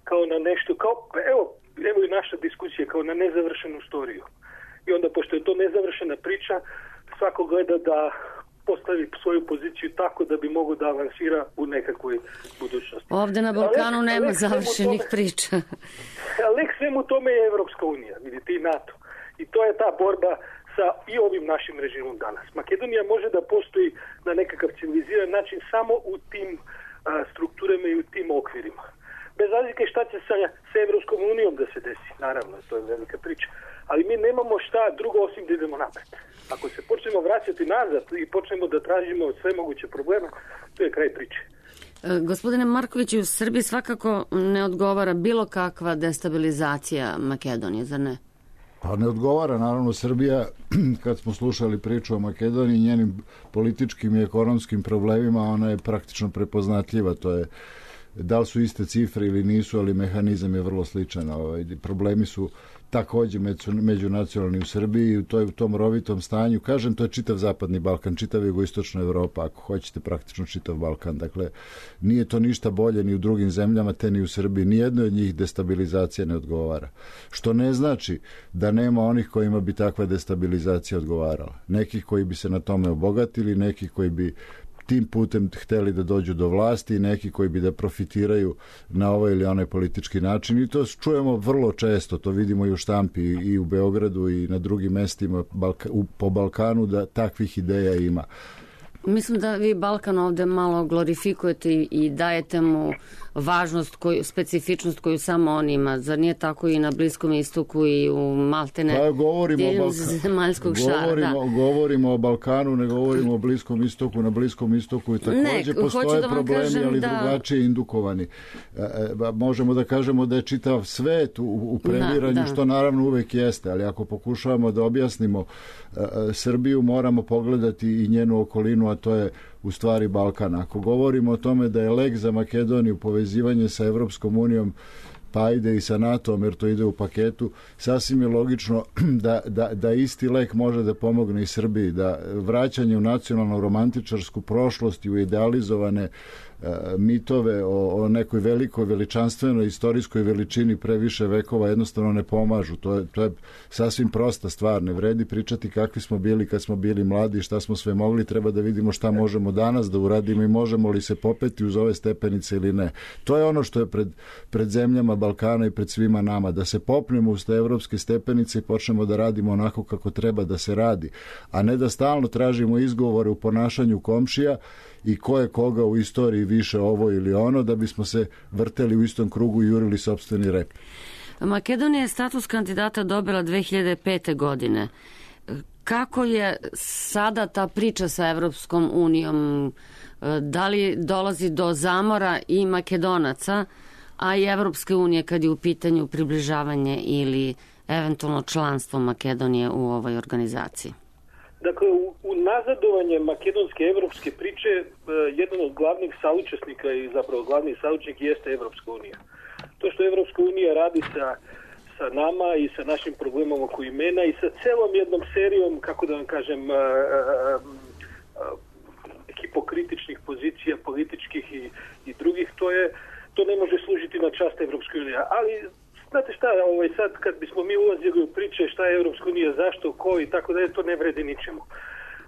kao na nešto, kao, evo, evo i naša diskusija, kao na nezavršenu storiju. I onda, pošto je to nezavršena priča, svako gleda da postavi svoju poziciju tako da bi mogo da avansira u nekakvoj budućnosti. Ovde na Balkanu Alek, nema Alek završenih tome, priča. Lek svemu tome je Evropska unija, vidite, i NATO. I to je ta borba sa i ovim našim režimom danas. Makedonija može da postoji na nekakav civiliziran način samo u tim a, strukturama i u tim okvirima. Bez razlike šta će sa, sa Evropskom unijom da se desi, naravno, to je velika priča. Ali mi nemamo šta drugo osim da idemo napred. Ako se počnemo vraćati nazad i počnemo da tražimo sve moguće probleme, to je kraj priče. E, gospodine Markoviću, u Srbiji svakako ne odgovara bilo kakva destabilizacija Makedonije, zar ne? Pa ne odgovara, naravno, Srbija, kad smo slušali priču o Makedoniji, njenim političkim i ekonomskim problemima, ona je praktično prepoznatljiva, to je da li su iste cifre ili nisu, ali mehanizam je vrlo sličan. Ovaj, problemi su takođe međunacionalni u Srbiji i u, toj, u tom rovitom stanju. Kažem, to je čitav zapadni Balkan, čitav jugoistočna Evropa, ako hoćete praktično čitav Balkan. Dakle, nije to ništa bolje ni u drugim zemljama, te ni u Srbiji. Nijedno od njih destabilizacija ne odgovara. Što ne znači da nema onih kojima bi takva destabilizacija odgovarala. Nekih koji bi se na tome obogatili, nekih koji bi tim putem hteli da dođu do vlasti i neki koji bi da profitiraju na ovaj ili onaj politički način i to čujemo vrlo često, to vidimo i u štampi i u Beogradu i na drugim mestima Balka, u, po Balkanu da takvih ideja ima. Mislim da vi Balkan ovde malo glorifikujete i, i dajete mu važnost, koju, specifičnost koju samo on ima. Zar nije tako i na Bliskom istoku i u Maltene? Pa govorimo o Balkanu. Zemaljskog šara, govorimo, da. govorimo o Balkanu, ne govorimo o Bliskom istoku. Na Bliskom istoku i takođe ne, postoje da problemi, kažem, ali da... drugačije indukovani. E, e, možemo da kažemo da je čitav svet u, u premiranju, da, da. Što naravno uvek jeste, ali ako pokušavamo da objasnimo e, e, Srbiju, moramo pogledati i njenu okolinu, a to je u stvari Balkan. Ako govorimo o tome da je lek za Makedoniju povezivanje sa Evropskom unijom, pa ide i sa NATO-om, jer to ide u paketu, sasvim je logično da, da, da isti lek može da pomogne i Srbiji, da vraćanje u nacionalno romantičarsku prošlost i u idealizovane mitove o, o nekoj velikoj veličanstvenoj istorijskoj veličini pre više vekova jednostavno ne pomažu. To je, to je sasvim prosta stvar. Ne vredi pričati kakvi smo bili kad smo bili mladi, šta smo sve mogli. Treba da vidimo šta možemo danas da uradimo i možemo li se popeti uz ove stepenice ili ne. To je ono što je pred, pred zemljama Balkana i pred svima nama. Da se popnemo uz te evropske stepenice i počnemo da radimo onako kako treba da se radi. A ne da stalno tražimo izgovore u ponašanju komšija i ko je koga u istoriji više ovo ili ono, da bismo se vrteli u istom krugu i jurili sopstveni rep. Makedonija je status kandidata dobila dve hiljade pete. godine. kako je sada ta priča sa Evropskom unijom? Da li dolazi do zamora i Makedonaca, a i Evropske unije kad je u pitanju približavanje ili eventualno članstvo Makedonije u ovoj organizaciji? Dakle, u, u nazadovanje makedonske evropske priče eh, jedan od glavnih saučesnika i zapravo glavni saučesnik jeste Evropska unija. To što Evropska unija radi sa, sa nama i sa našim problemom oko imena i sa celom jednom serijom, kako da vam kažem, eh, eh, hipokritičnih pozicija, političkih i, i drugih, to je to ne može služiti na čast Evropske unije. Ali znate šta, ovaj, sad kad bismo mi ulazili u priče šta je Evropska unija, zašto, ko i tako dalje, to ne vredi ničemu.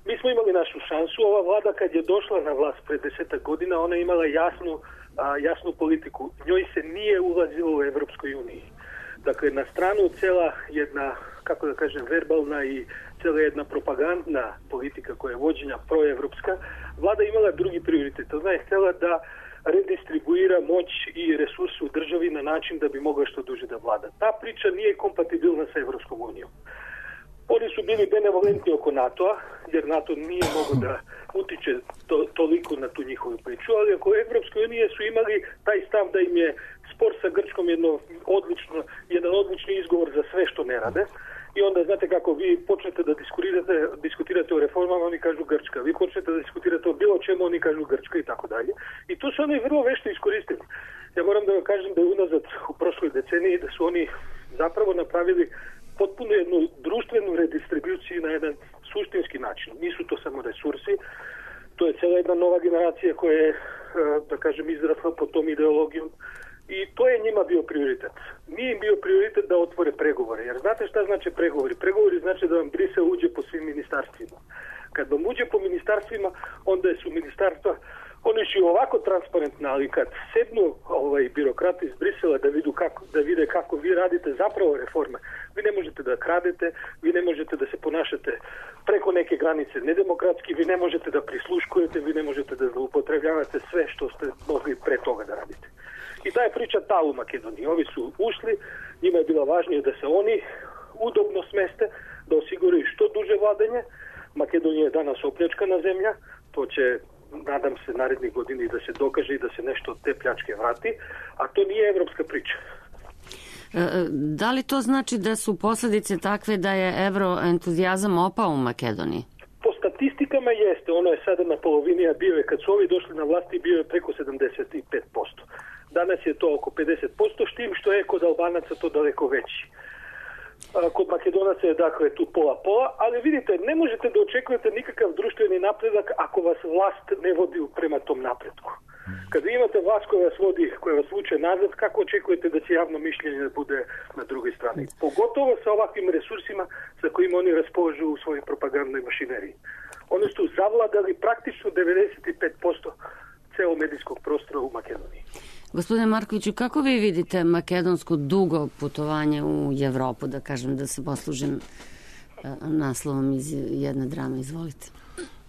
Mi smo imali našu šansu. Ova vlada kad je došla na vlast pred desetak godina, ona je imala jasnu, a, jasnu politiku. Njoj se nije ulazilo u Evropskoj uniji. Dakle, na stranu cela jedna, kako da kažem, verbalna i cela jedna propagandna politika koja je vođenja proevropska, vlada imala drugi prioritet. Ona je htjela da redistribuira moć i resurse u državi na način da bi mogla što duže da vlada. Ta priča nije kompatibilna sa Evropskom unijom. Oni su bili benevolentni oko NATO-a, jer NATO nije mogo da utiče to, toliko na tu njihovu priču, ali oko Evropske unije su imali taj stav da im je spor sa Grčkom jedno odlično, jedan odlični izgovor za sve što ne rade. I onda, znate kako, vi počnete da diskutirate, diskutirate o reformama, oni kažu Grčka. Vi počnete da diskutirate o bilo čemu, oni kažu Grčka i tako dalje. I to su oni vrlo vešto iskoristili. Ja moram da vam kažem da je unazad u prošloj deceniji da su oni zapravo napravili potpuno jednu društvenu redistribuciju na jedan suštinski način. Nisu to samo resursi, to je cela jedna nova generacija koja je, da kažem, izrasla pod tom ideologijom. I to je njima bio prioritet. Nije im bio prioritet da otvore pregovore. Jer znate šta znači pregovori? Pregovori znači da vam Brisel uđe po svim ministarstvima. Kad vam uđe po ministarstvima, onda su ministarstva, oni su ovako transparentni, ali kad sednu ovaj, birokrati iz Brisela da, vidu kako, da vide kako vi radite zapravo reforme, vi ne možete da kradete, vi ne možete da se ponašate preko neke granice nedemokratski, vi ne možete da prisluškujete, vi ne možete da zloupotrebljavate sve što ste mogli pre toga da radite. I ta je priča ta u Makedoniji. Ovi su ušli, njima je bilo važnije da se oni udobno smeste, da osiguraju što duže vladanje. Makedonija je danas opljačkana zemlja, to će, nadam se, narednih godini da se dokaže i da se nešto od te pljačke vrati, a to nije evropska priča. Da li to znači da su posljedice takve da je evroentuzijazam opao u Makedoniji? Po statistikama jeste, ono je sada na polovini, a bio je, kad su ovi došli na vlasti, bio je preko sedamdeset pet posto. Danas je to oko pedeset posto, s tim što je kod Albanaca to daleko veći. Kod Makedonaca je dakle tu pola-pola, ali vidite, ne možete da očekujete nikakav društveni napredak ako vas vlast ne vodi prema tom napretku. Kad vi imate vlast koja vas vodi, koja vas vuče nazad, kako očekujete da će javno mišljenje bude na drugoj strani? Pogotovo sa ovakvim resursima sa kojima oni raspolažu u svojoj propagandnoj mašineriji. Oni su zavladali praktično devedeset pet posto celo medijskog prostora u Makedoniji. Gospodine Markoviću, kako vi vidite makedonsko dugo putovanje u Evropu, da kažem, da se poslužim naslovom iz jedne drame? Izvolite.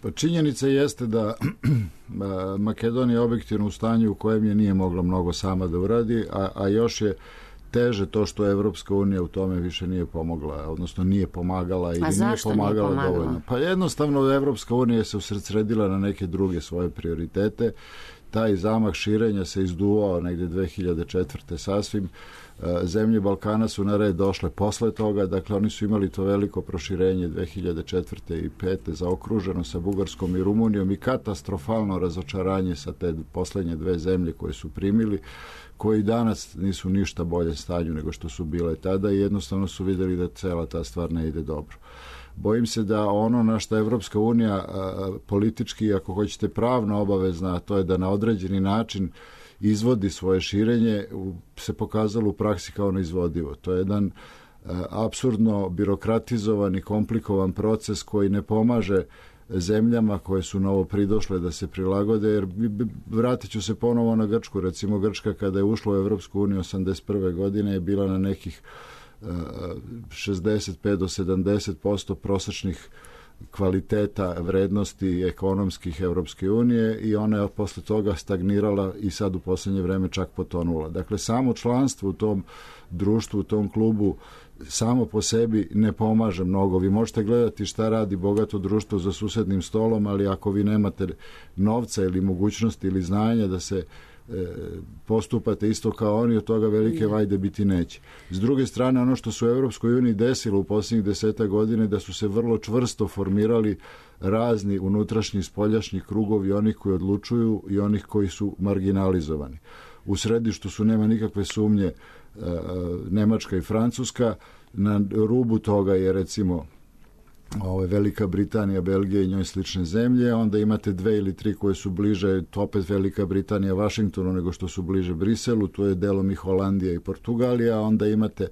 Pa činjenica jeste da Makedonija je objektivno u stanju u kojem je nije mogla mnogo sama da uradi, a, a još je teže to što Evropska unija u tome više nije pomogla, odnosno nije pomagala ili nije pomagala, nije dovoljno. Pa jednostavno Evropska unija se usredsredila na neke druge svoje prioritete. Taj zamah širenja se izduvao negde dve hiljade četvrte sasvim. Zemlje Balkana su na red došle posle toga, dakle oni su imali to veliko proširenje dve hiljade četvrte i pete zaokruženo sa Bugarskom i Rumunijom i katastrofalno razočaranje sa te poslednje dve zemlje koje su primili, koji danas nisu ništa bolje stanju nego što su bile tada i jednostavno su videli da cela ta stvar ne ide dobro. Bojim se da ono na što Evropska unija a, politički, ako hoćete pravno obavezna, a to je da na određeni način izvodi svoje širenje, se pokazalo u praksi kao neizvodivo. To je jedan a, apsurdno birokratizovan i komplikovan proces koji ne pomaže zemljama koje su novo pridošle da se prilagode, jer vratit ću se ponovo na Grčku. Recimo Grčka kada je ušla u Evropsku uniju osamdeset prve godine je bila na nekih šezdeset pet do sedamdeset posto prosečnih kvaliteta vrednosti ekonomskih Evropske unije i ona je posle toga stagnirala i sad u posljednje vreme čak potonula. Dakle, samo članstvo u tom društvu, u tom klubu samo po sebi ne pomaže mnogo. Vi možete gledati šta radi bogato društvo za susednim stolom, ali ako vi nemate novca ili mogućnosti ili znanja da se postupate isto kao oni, od toga velike vajde biti neće. S druge strane, ono što se u Evropskoj uniji desilo u posljednjih deseta godine, da su se vrlo čvrsto formirali razni unutrašnji spoljašnji krugovi, onih koji odlučuju i onih koji su marginalizovani. U središtu su, nema nikakve sumnje, Nemačka i Francuska, na rubu toga je recimo Ove, Velika Britanija, Belgija i njoj slične zemlje, onda imate dve ili tri koje su bliže, opet Velika Britanija Vašingtonu nego što su bliže Briselu, tu je delom i Holandija i Portugalija, onda imate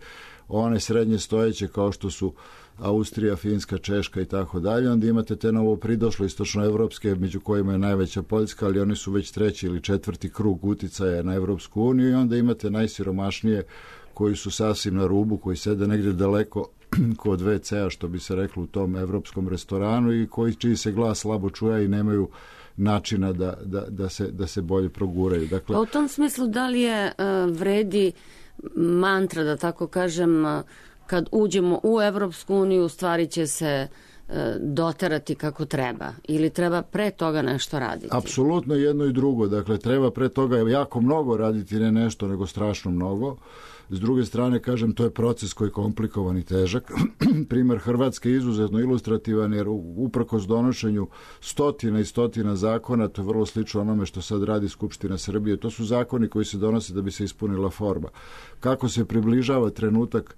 one srednje stojeće kao što su Austrija, Finska, Češka i tako dalje, onda imate te novo pridošle istočnoevropske, među kojima je najveća Poljska, ali oni su već treći ili četvrti krug uticaja na Evropsku uniju, i onda imate najsiromašnije koji su sasvim na rubu, koji sede negdje daleko kod ve cea, što bi se reklo u tom evropskom restoranu, i koji čiji se glas slabo čuje i nemaju načina da, da, da, se, da se bolje proguraju. Dakle, pa u tom smislu, da li je uh, vredi mantra, da tako kažem, uh, kad uđemo u Evropsku uniju, stvari će se uh, doterati kako treba, ili treba pre toga nešto raditi? Apsolutno jedno i drugo. Dakle, treba pre toga jako mnogo raditi, ne nešto, nego strašno mnogo. S druge strane, kažem, to je proces koji je komplikovan i težak. Primer Hrvatske je izuzetno ilustrativan, jer uprkos donošenju stotina i stotina zakona, to je vrlo slično onome što sad radi Skupština Srbije, to su zakoni koji se donose da bi se ispunila forma. Kako se približava trenutak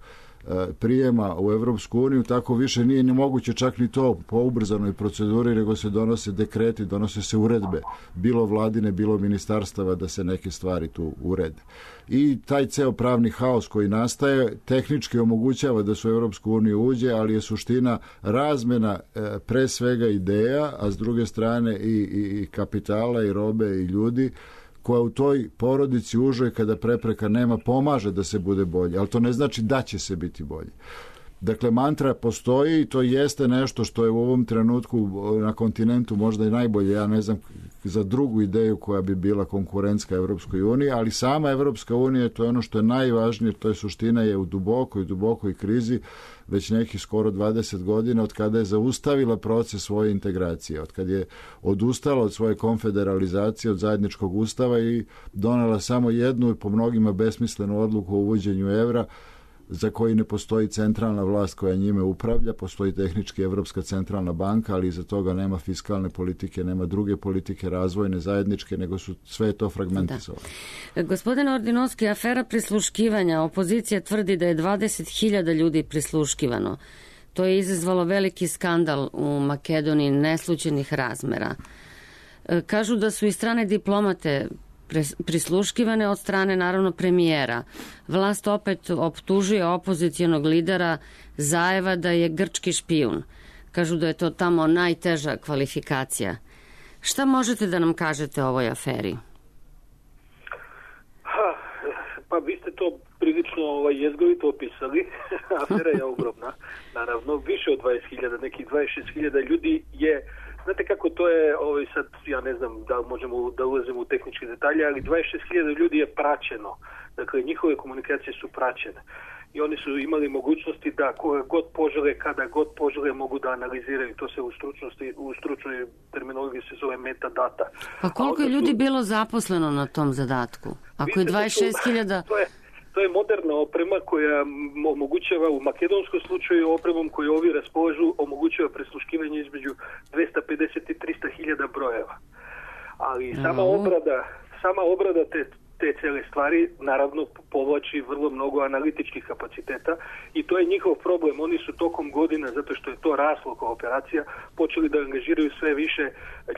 prijema u Evropsku uniju, tako više nije ni moguće čak ni to po ubrzanoj proceduri, nego se donose dekreti, donose se uredbe, bilo vladine, bilo ministarstava, da se neke stvari tu urede. I taj ceo pravni haos koji nastaje tehnički omogućava da se u Evropsku uniju uđe, ali je suština razmena pre svega ideja, a s druge strane i, i, i kapitala i robe i ljudi, koja u toj porodici užoj, kada prepreka nema, pomaže da se bude bolje, ali to ne znači da će se biti bolje. Dakle, mantra postoji i to jeste nešto što je u ovom trenutku na kontinentu možda i najbolje, ja ne znam za drugu ideju koja bi bila konkurentska Evropskoj uniji, ali sama Evropska unija, to je ono što je najvažnije, to je suština, je u dubokoj, dubokoj krizi već nekih skoro dvadeset godina, od kada je zaustavila proces svoje integracije, od kada je odustala od svoje konfederalizacije, od zajedničkog ustava i donela samo jednu, po mnogima besmislenu odluku o uvođenju evra, za koji ne postoji centralna vlast koja njime upravlja, postoji tehnički Evropska centralna banka, ali iza toga nema fiskalne politike, nema druge politike razvojne, zajedničke, nego su sve to fragmentisovano. Da. Gospodine Ordinovski, afera prisluškivanja, opozicija tvrdi da je dvadeset hiljada ljudi prisluškivano. To je izazvalo veliki skandal u Makedoniji neslućenih razmera. Kažu da su i strane diplomate prisluškivane od strane, naravno, premijera. Vlast opet optužuje opozicijonog lidera Zajeva da je grčki špijun. Kažu da je to tamo najteža kvalifikacija. Šta možete da nam kažete o ovoj aferi? Ha, pa vi ste to prilično ovaj, jezgovito opisali. Afera je ogromna. Naravno, više od dvadeset hiljada, nekih dvadeset šest hiljada ljudi je. Znate kako to je, ovaj, sad ja ne znam da možemo da ulazimo u tehničke detalje, ali dvadeset šest hiljada ljudi je praćeno. Dakle, njihove komunikacije su praćene. I oni su imali mogućnosti da koje god požele, kada god požele, mogu da analiziraju. To se u stručnosti, u stručnoj terminologiji se zove metadata. Pa koliko je ljudi su... bilo zaposleno na tom zadatku? Ako je dvadeset šest hiljada... To je, to je moderna oprema koja omogućava u makedonskom slučaju opremom koju ovi raspolažu omogućava prisluškivanje između dvesta pedeset i trista hiljada brojeva. Ali sama obrada, sama obrada te te cele stvari naravno povlači vrlo mnogo analitičkih kapaciteta i to je njihov problem. Oni su tokom godina, zato što je to raslo kao operacija, počeli da angažiraju sve više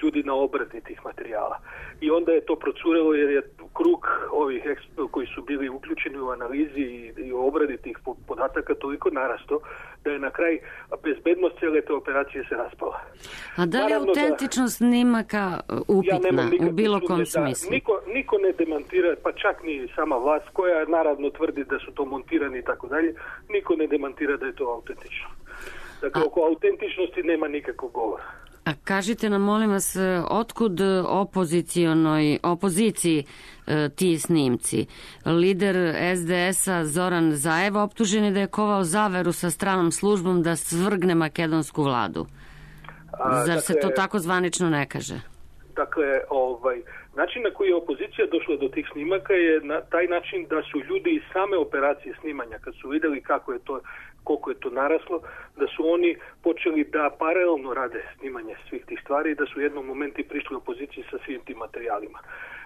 ljudi na obradi tih materijala. I onda je to procurelo jer je krug ovih koji su bili uključeni u analizi i, i obradi tih podataka toliko narasto da je na kraj bezbednost cijele te operacije se raspala. A da li je autentičnost snimaka upitna ja u bilo kom smislu? Da, niko, niko ne demantira, pa čak ni sama vlast koja naravno tvrdi da su to montirani i tako dalje, niko ne demantira da je to autentično. Dakle, A... oko autentičnosti nema nikakvog govora. A kažite nam, molim vas, otkud opozicionoj, opoziciji e, ti snimci? Lider es de es-a Zoran Zaev optužen je da je kovao zaveru sa stranom službom da svrgne makedonsku vladu. A, Zar dakle, se to tako zvanično ne kaže? Dakle, ovaj, način na koji je opozicija došla do tih snimaka je na taj način da su ljudi iz same operacije snimanja, kad su vidjeli kako je to, koliko je to naraslo, da su oni počeli da paralelno rade snimanje svih tih stvari i da su u jednom momentu prišli opoziciji sa svim tim materijalima.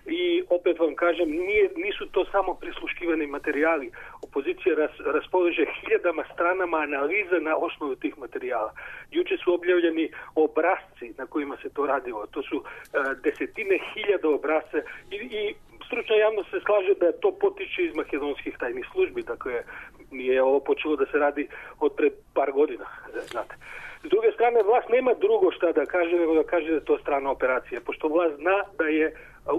I opet vam kažem, nije, nisu to samo prisluškivani materijali. Opozicija ras, raspolaže hiljadama stranama analiza na osnovu tih materijala. Juče su objavljeni obrazci na kojima se to radilo. To su uh, desetine hiljada obrazce i, i stručna javnost se slaže da to potiče iz makedonskih tajnih službi. Dakle, nije ovo počelo da se radi od pred par godina, znate. S druge strane, vlast nema drugo šta da kaže, nego da kaže da je to strana operacija, pošto vlast zna da je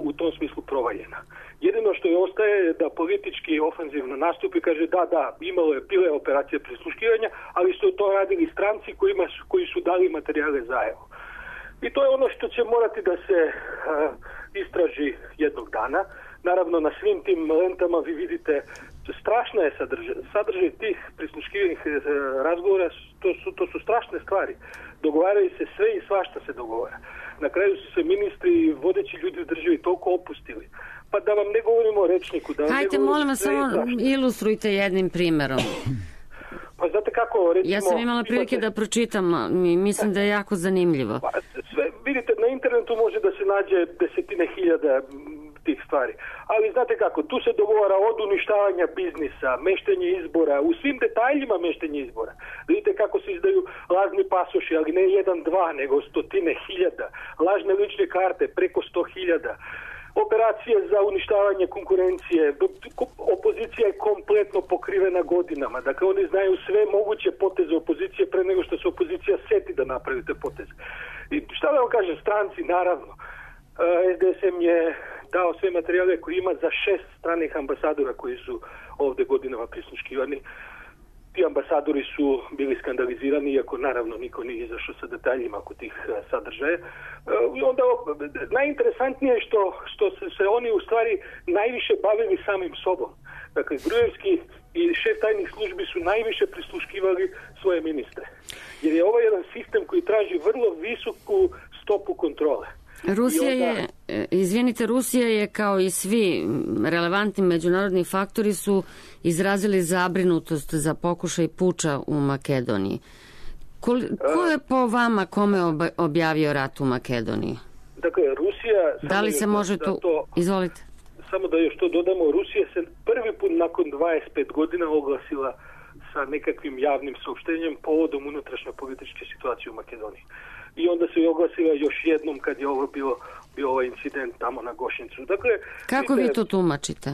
u tom smislu provaljena. Jedino što je ostaje je da politički ofenzivno nastupi, kaže da, da, imalo je pile operacije prisluškivanja, ali su to radili stranci kojima su, koji su dali materijale Zaevu. I to je ono što će morati da se uh, istraži jednog dana. Naravno, na svim tim lentama vi vidite strašna je sadržaj. Sadržaj tih prisluškivanih uh, razgovora, to su, to su strašne stvari. Dogovaraju se sve i svašta se dogovara. Na kraju su se ministri i vodeći ljudi u državi toliko opustili. Pa da vam ne govorimo o rečniku. Da vam Hajde, molim vas, samo ilustrujte jednim primjerom. Pa znate kako, recimo... Ja sam imala prilike imate... da pročitam i mislim da je jako zanimljivo. Pa, sve, vidite, na internetu može da se nađe desetine hiljada tih stvari. Ali znate kako, tu se dogovara od uništavanja biznisa, meštenje izbora, u svim detaljima meštenje izbora. Vidite kako se izdaju lažni pasoši, ali ne jedan, dva, nego stotine hiljada. Lažne lične karte, preko sto hiljada. Operacije za uništavanje konkurencije. Opozicija je kompletno pokrivena godinama. Dakle, oni znaju sve moguće poteze opozicije pre nego što se opozicija seti da napravi te poteze. I šta da vam kažem, stranci, naravno. es de es em je dao sve materijale koje ima za šest stranih ambasadora koji su ovde godinama prisluškivani. Ti ambasadori su bili skandalizirani, iako naravno niko nije izašao sa detaljima oko tih sadržaja. I onda najinteresantnije je što, što se, se oni u stvari najviše bavili samim sobom. Dakle, Gruevski i šef tajnih službi su najviše prisluškivali svoje ministre. Jer je ovo jedan sistem koji traži vrlo visoku stopu kontrole. Rusija je, izvinite, Rusija je kao i svi relevantni međunarodni faktori su izrazili zabrinutost za pokušaj puča u Makedoniji. Ko, ko je po vama kome objavio rat u Makedoniji? Dakle, Rusija... Da li se može tu... To, Izvolite. Samo da još to dodamo, Rusija se prvi put nakon dvadeset pet godina oglasila sa nekakvim javnim saopštenjem povodom unutrašnje političke situacije u Makedoniji. I onda se je oglasila još jednom kad je ovo bio, bio ovaj incident tamo na Gošincu. Dakle, kako vi to tumačite?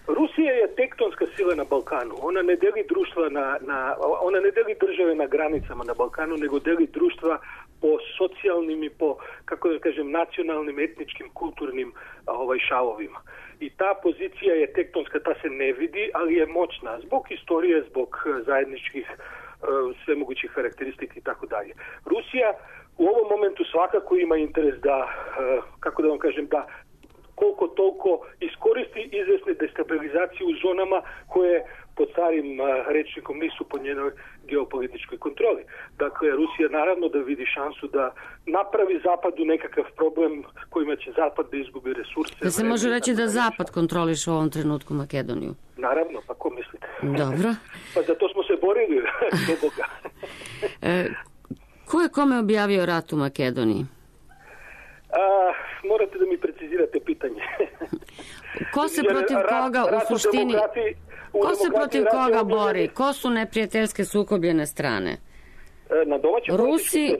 Rusija je tektonska sila na Balkanu. Ona ne deli društva na, na, ona ne deli države na granicama na Balkanu, nego deli društva po socijalnim i po, kako da kažem, nacionalnim, etničkim, kulturnim ovaj, šavovima. I ta pozicija je tektonska, ta se ne vidi, ali je moćna zbog historije, zbog zajedničkih sve mogućih karakteristika i tako dalje. Rusija u ovom momentu svakako ima interes da, kako da vam kažem, da koliko toliko iskoristi izvesne destabilizacije u zonama koje pod starim rečnikom nisu pod njenoj geopolitičkoj kontroli. Dakle, Rusija naravno da vidi šansu da napravi Zapadu nekakav problem kojima će Zapad da izgubi resurse. Da se može reći da Zapad kontroliše u ovom trenutku Makedoniju? Naravno, pa ko mislite? Dobro. Pa zato smo se borili do Boga. e, ko je kome objavio rat u Makedoniji? A, morate da mi precizirate pitanje. Ko se protiv Jer, koga rat, u suštini... Ko se protiv koga bori? Ko su neprijateljske sukobljene strane? Na domaćoj Rusi,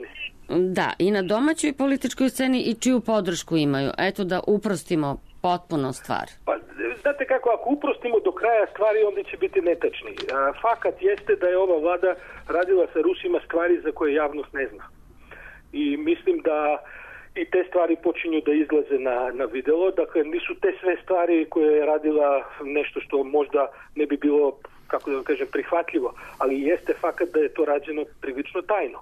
da, i na domaćoj političkoj sceni i čiju podršku imaju. Eto da uprostimo potpuno stvar. Pa, znate kako, ako uprostimo do kraja stvari, onda će biti netačni. Fakat jeste da je ova vlada radila sa Rusima stvari za koje javnost ne zna. I mislim da i te stvari počinju da izlaze na, na videlo. Dakle, nisu te sve stvari koje je radila nešto što možda ne bi bilo kako da vam kažem, prihvatljivo, ali jeste fakat da je to rađeno prilično tajno.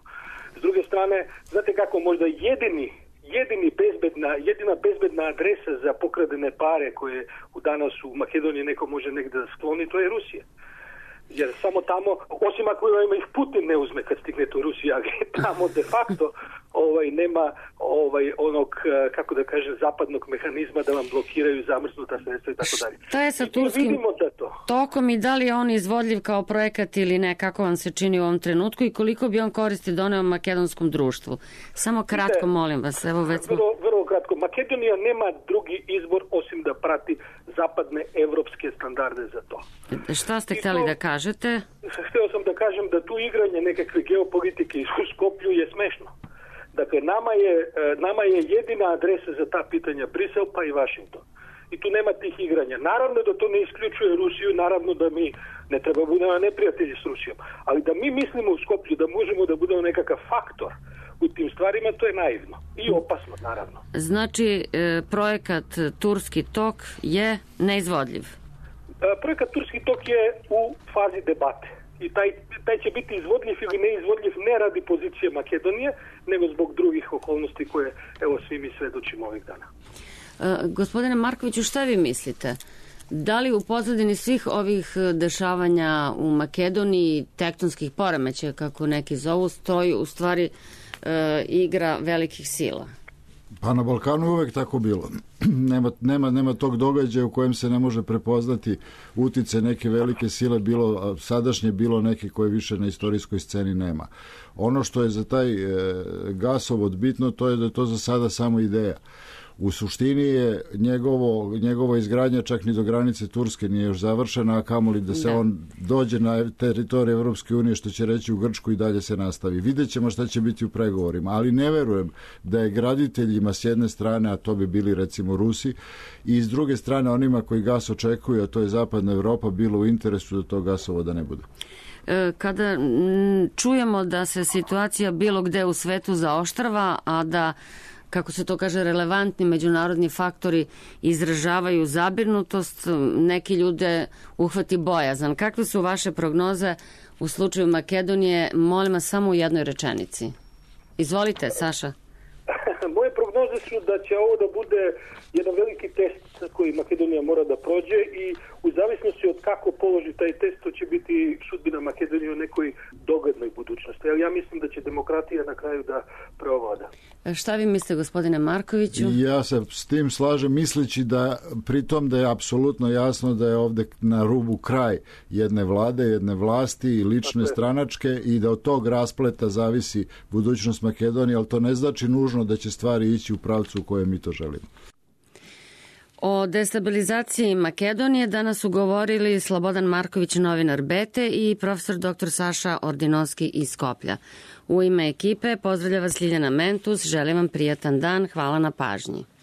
S druge strane, znate kako, možda jedini jedini bezbedna, jedina bezbedna adresa za pokradene pare koje u danas u Makedoniji neko može negde da skloni, to je Rusija. Jer samo tamo, osim ako ima ih Putin ne uzme kad stigne to Rusija, ali tamo de facto ovaj, nema ovaj, onog, kako da kažem, zapadnog mehanizma da vam blokiraju zamrznuta sredstva i tako dalje. Šta je sa turskim da to. tokom i da li je on izvodljiv kao projekat ili ne, kako vam se čini u ovom trenutku i koliko bi on koristi doneo makedonskom društvu? Samo kratko, molim vas. Evo već smo... vrlo, vrlo kratko. Makedonija nema drugi izbor osim da prati zapadne evropske standarde za to. Šta ste htjeli da kažete? Htio sam da kažem da tu igranje nekakve geopolitike u Skoplju je smešno. Dakle, nama je, nama je jedina adresa za ta pitanja Brisel pa i Washington. I tu nema tih igranja. Naravno da to ne isključuje Rusiju, naravno da mi ne treba budemo neprijatelji s Rusijom. Ali da mi mislimo u Skoplju da možemo da budemo nekakav faktor u tim stvarima, to je naivno. I opasno, naravno. Znači, projekat Turski tok je neizvodljiv? Projekat Turski tok je u fazi debate. I taj, taj će biti izvodljiv ili neizvodljiv ne radi pozicije Makedonije, nego zbog drugih okolnosti koje, evo, svi mi svedočimo ovih dana. E, gospodine Markoviću, šta vi mislite? Da li u pozadini svih ovih dešavanja u Makedoniji, tektonskih poremećaja, kako neki zovu, stoji u stvari e, igra velikih sila? Pa na Balkanu je uvek tako bilo. nema, nema, nema tog događaja u kojem se ne može prepoznati utice neke velike sile, bilo sadašnje, bilo neke koje više na istorijskoj sceni nema. Ono što je za taj e, gasovod bitno, to je da je to za sada samo ideja. U suštini je njegovo, njegova izgradnja čak ni do granice Turske nije još završena, a kamoli da se da. on dođe na teritoriju Evropske unije, što će reći u Grčku, i dalje se nastavi. Vidjet ćemo šta će biti u pregovorima, ali ne verujem da je graditeljima s jedne strane, a to bi bili recimo Rusi, i s druge strane onima koji gas očekuju, a to je Zapadna Evropa, bilo u interesu da to gasovoda ne bude. Kada čujemo da se situacija bilo gde u svetu zaoštrava, a da, kako se to kaže, relevantni međunarodni faktori izražavaju zabrinutost, neki ljude uhvati bojazan. Kakve su vaše prognoze u slučaju Makedonije? Molim vas samo u jednoj rečenici. Izvolite, Saša. Moje prognoze su da će ovo da bude jedan veliki test koji Makedonija mora da prođe i u zavisnosti od kako položi taj test, to će biti sudbina Makedonije u nekoj dogadnoj budućnosti. Ali ja mislim da će demokratija na kraju da preovlada. Šta vi mislite, gospodine Markoviću? Ja se s tim slažem, misleći da pritom da je apsolutno jasno da je ovde na rubu kraj jedne vlade, jedne vlasti i lične stranačke i da od tog raspleta zavisi budućnost Makedonije, ali to ne znači nužno da će stvari ići u pravcu u kojem mi to želimo. O destabilizaciji Makedonije danas su govorili Slobodan Marković, novinar Bete, i profesor doktor Saša Ordinovski iz Skoplja. U ime ekipe pozdravlja vas Ljiljana Mentus, želim vam prijatan dan, hvala na pažnji.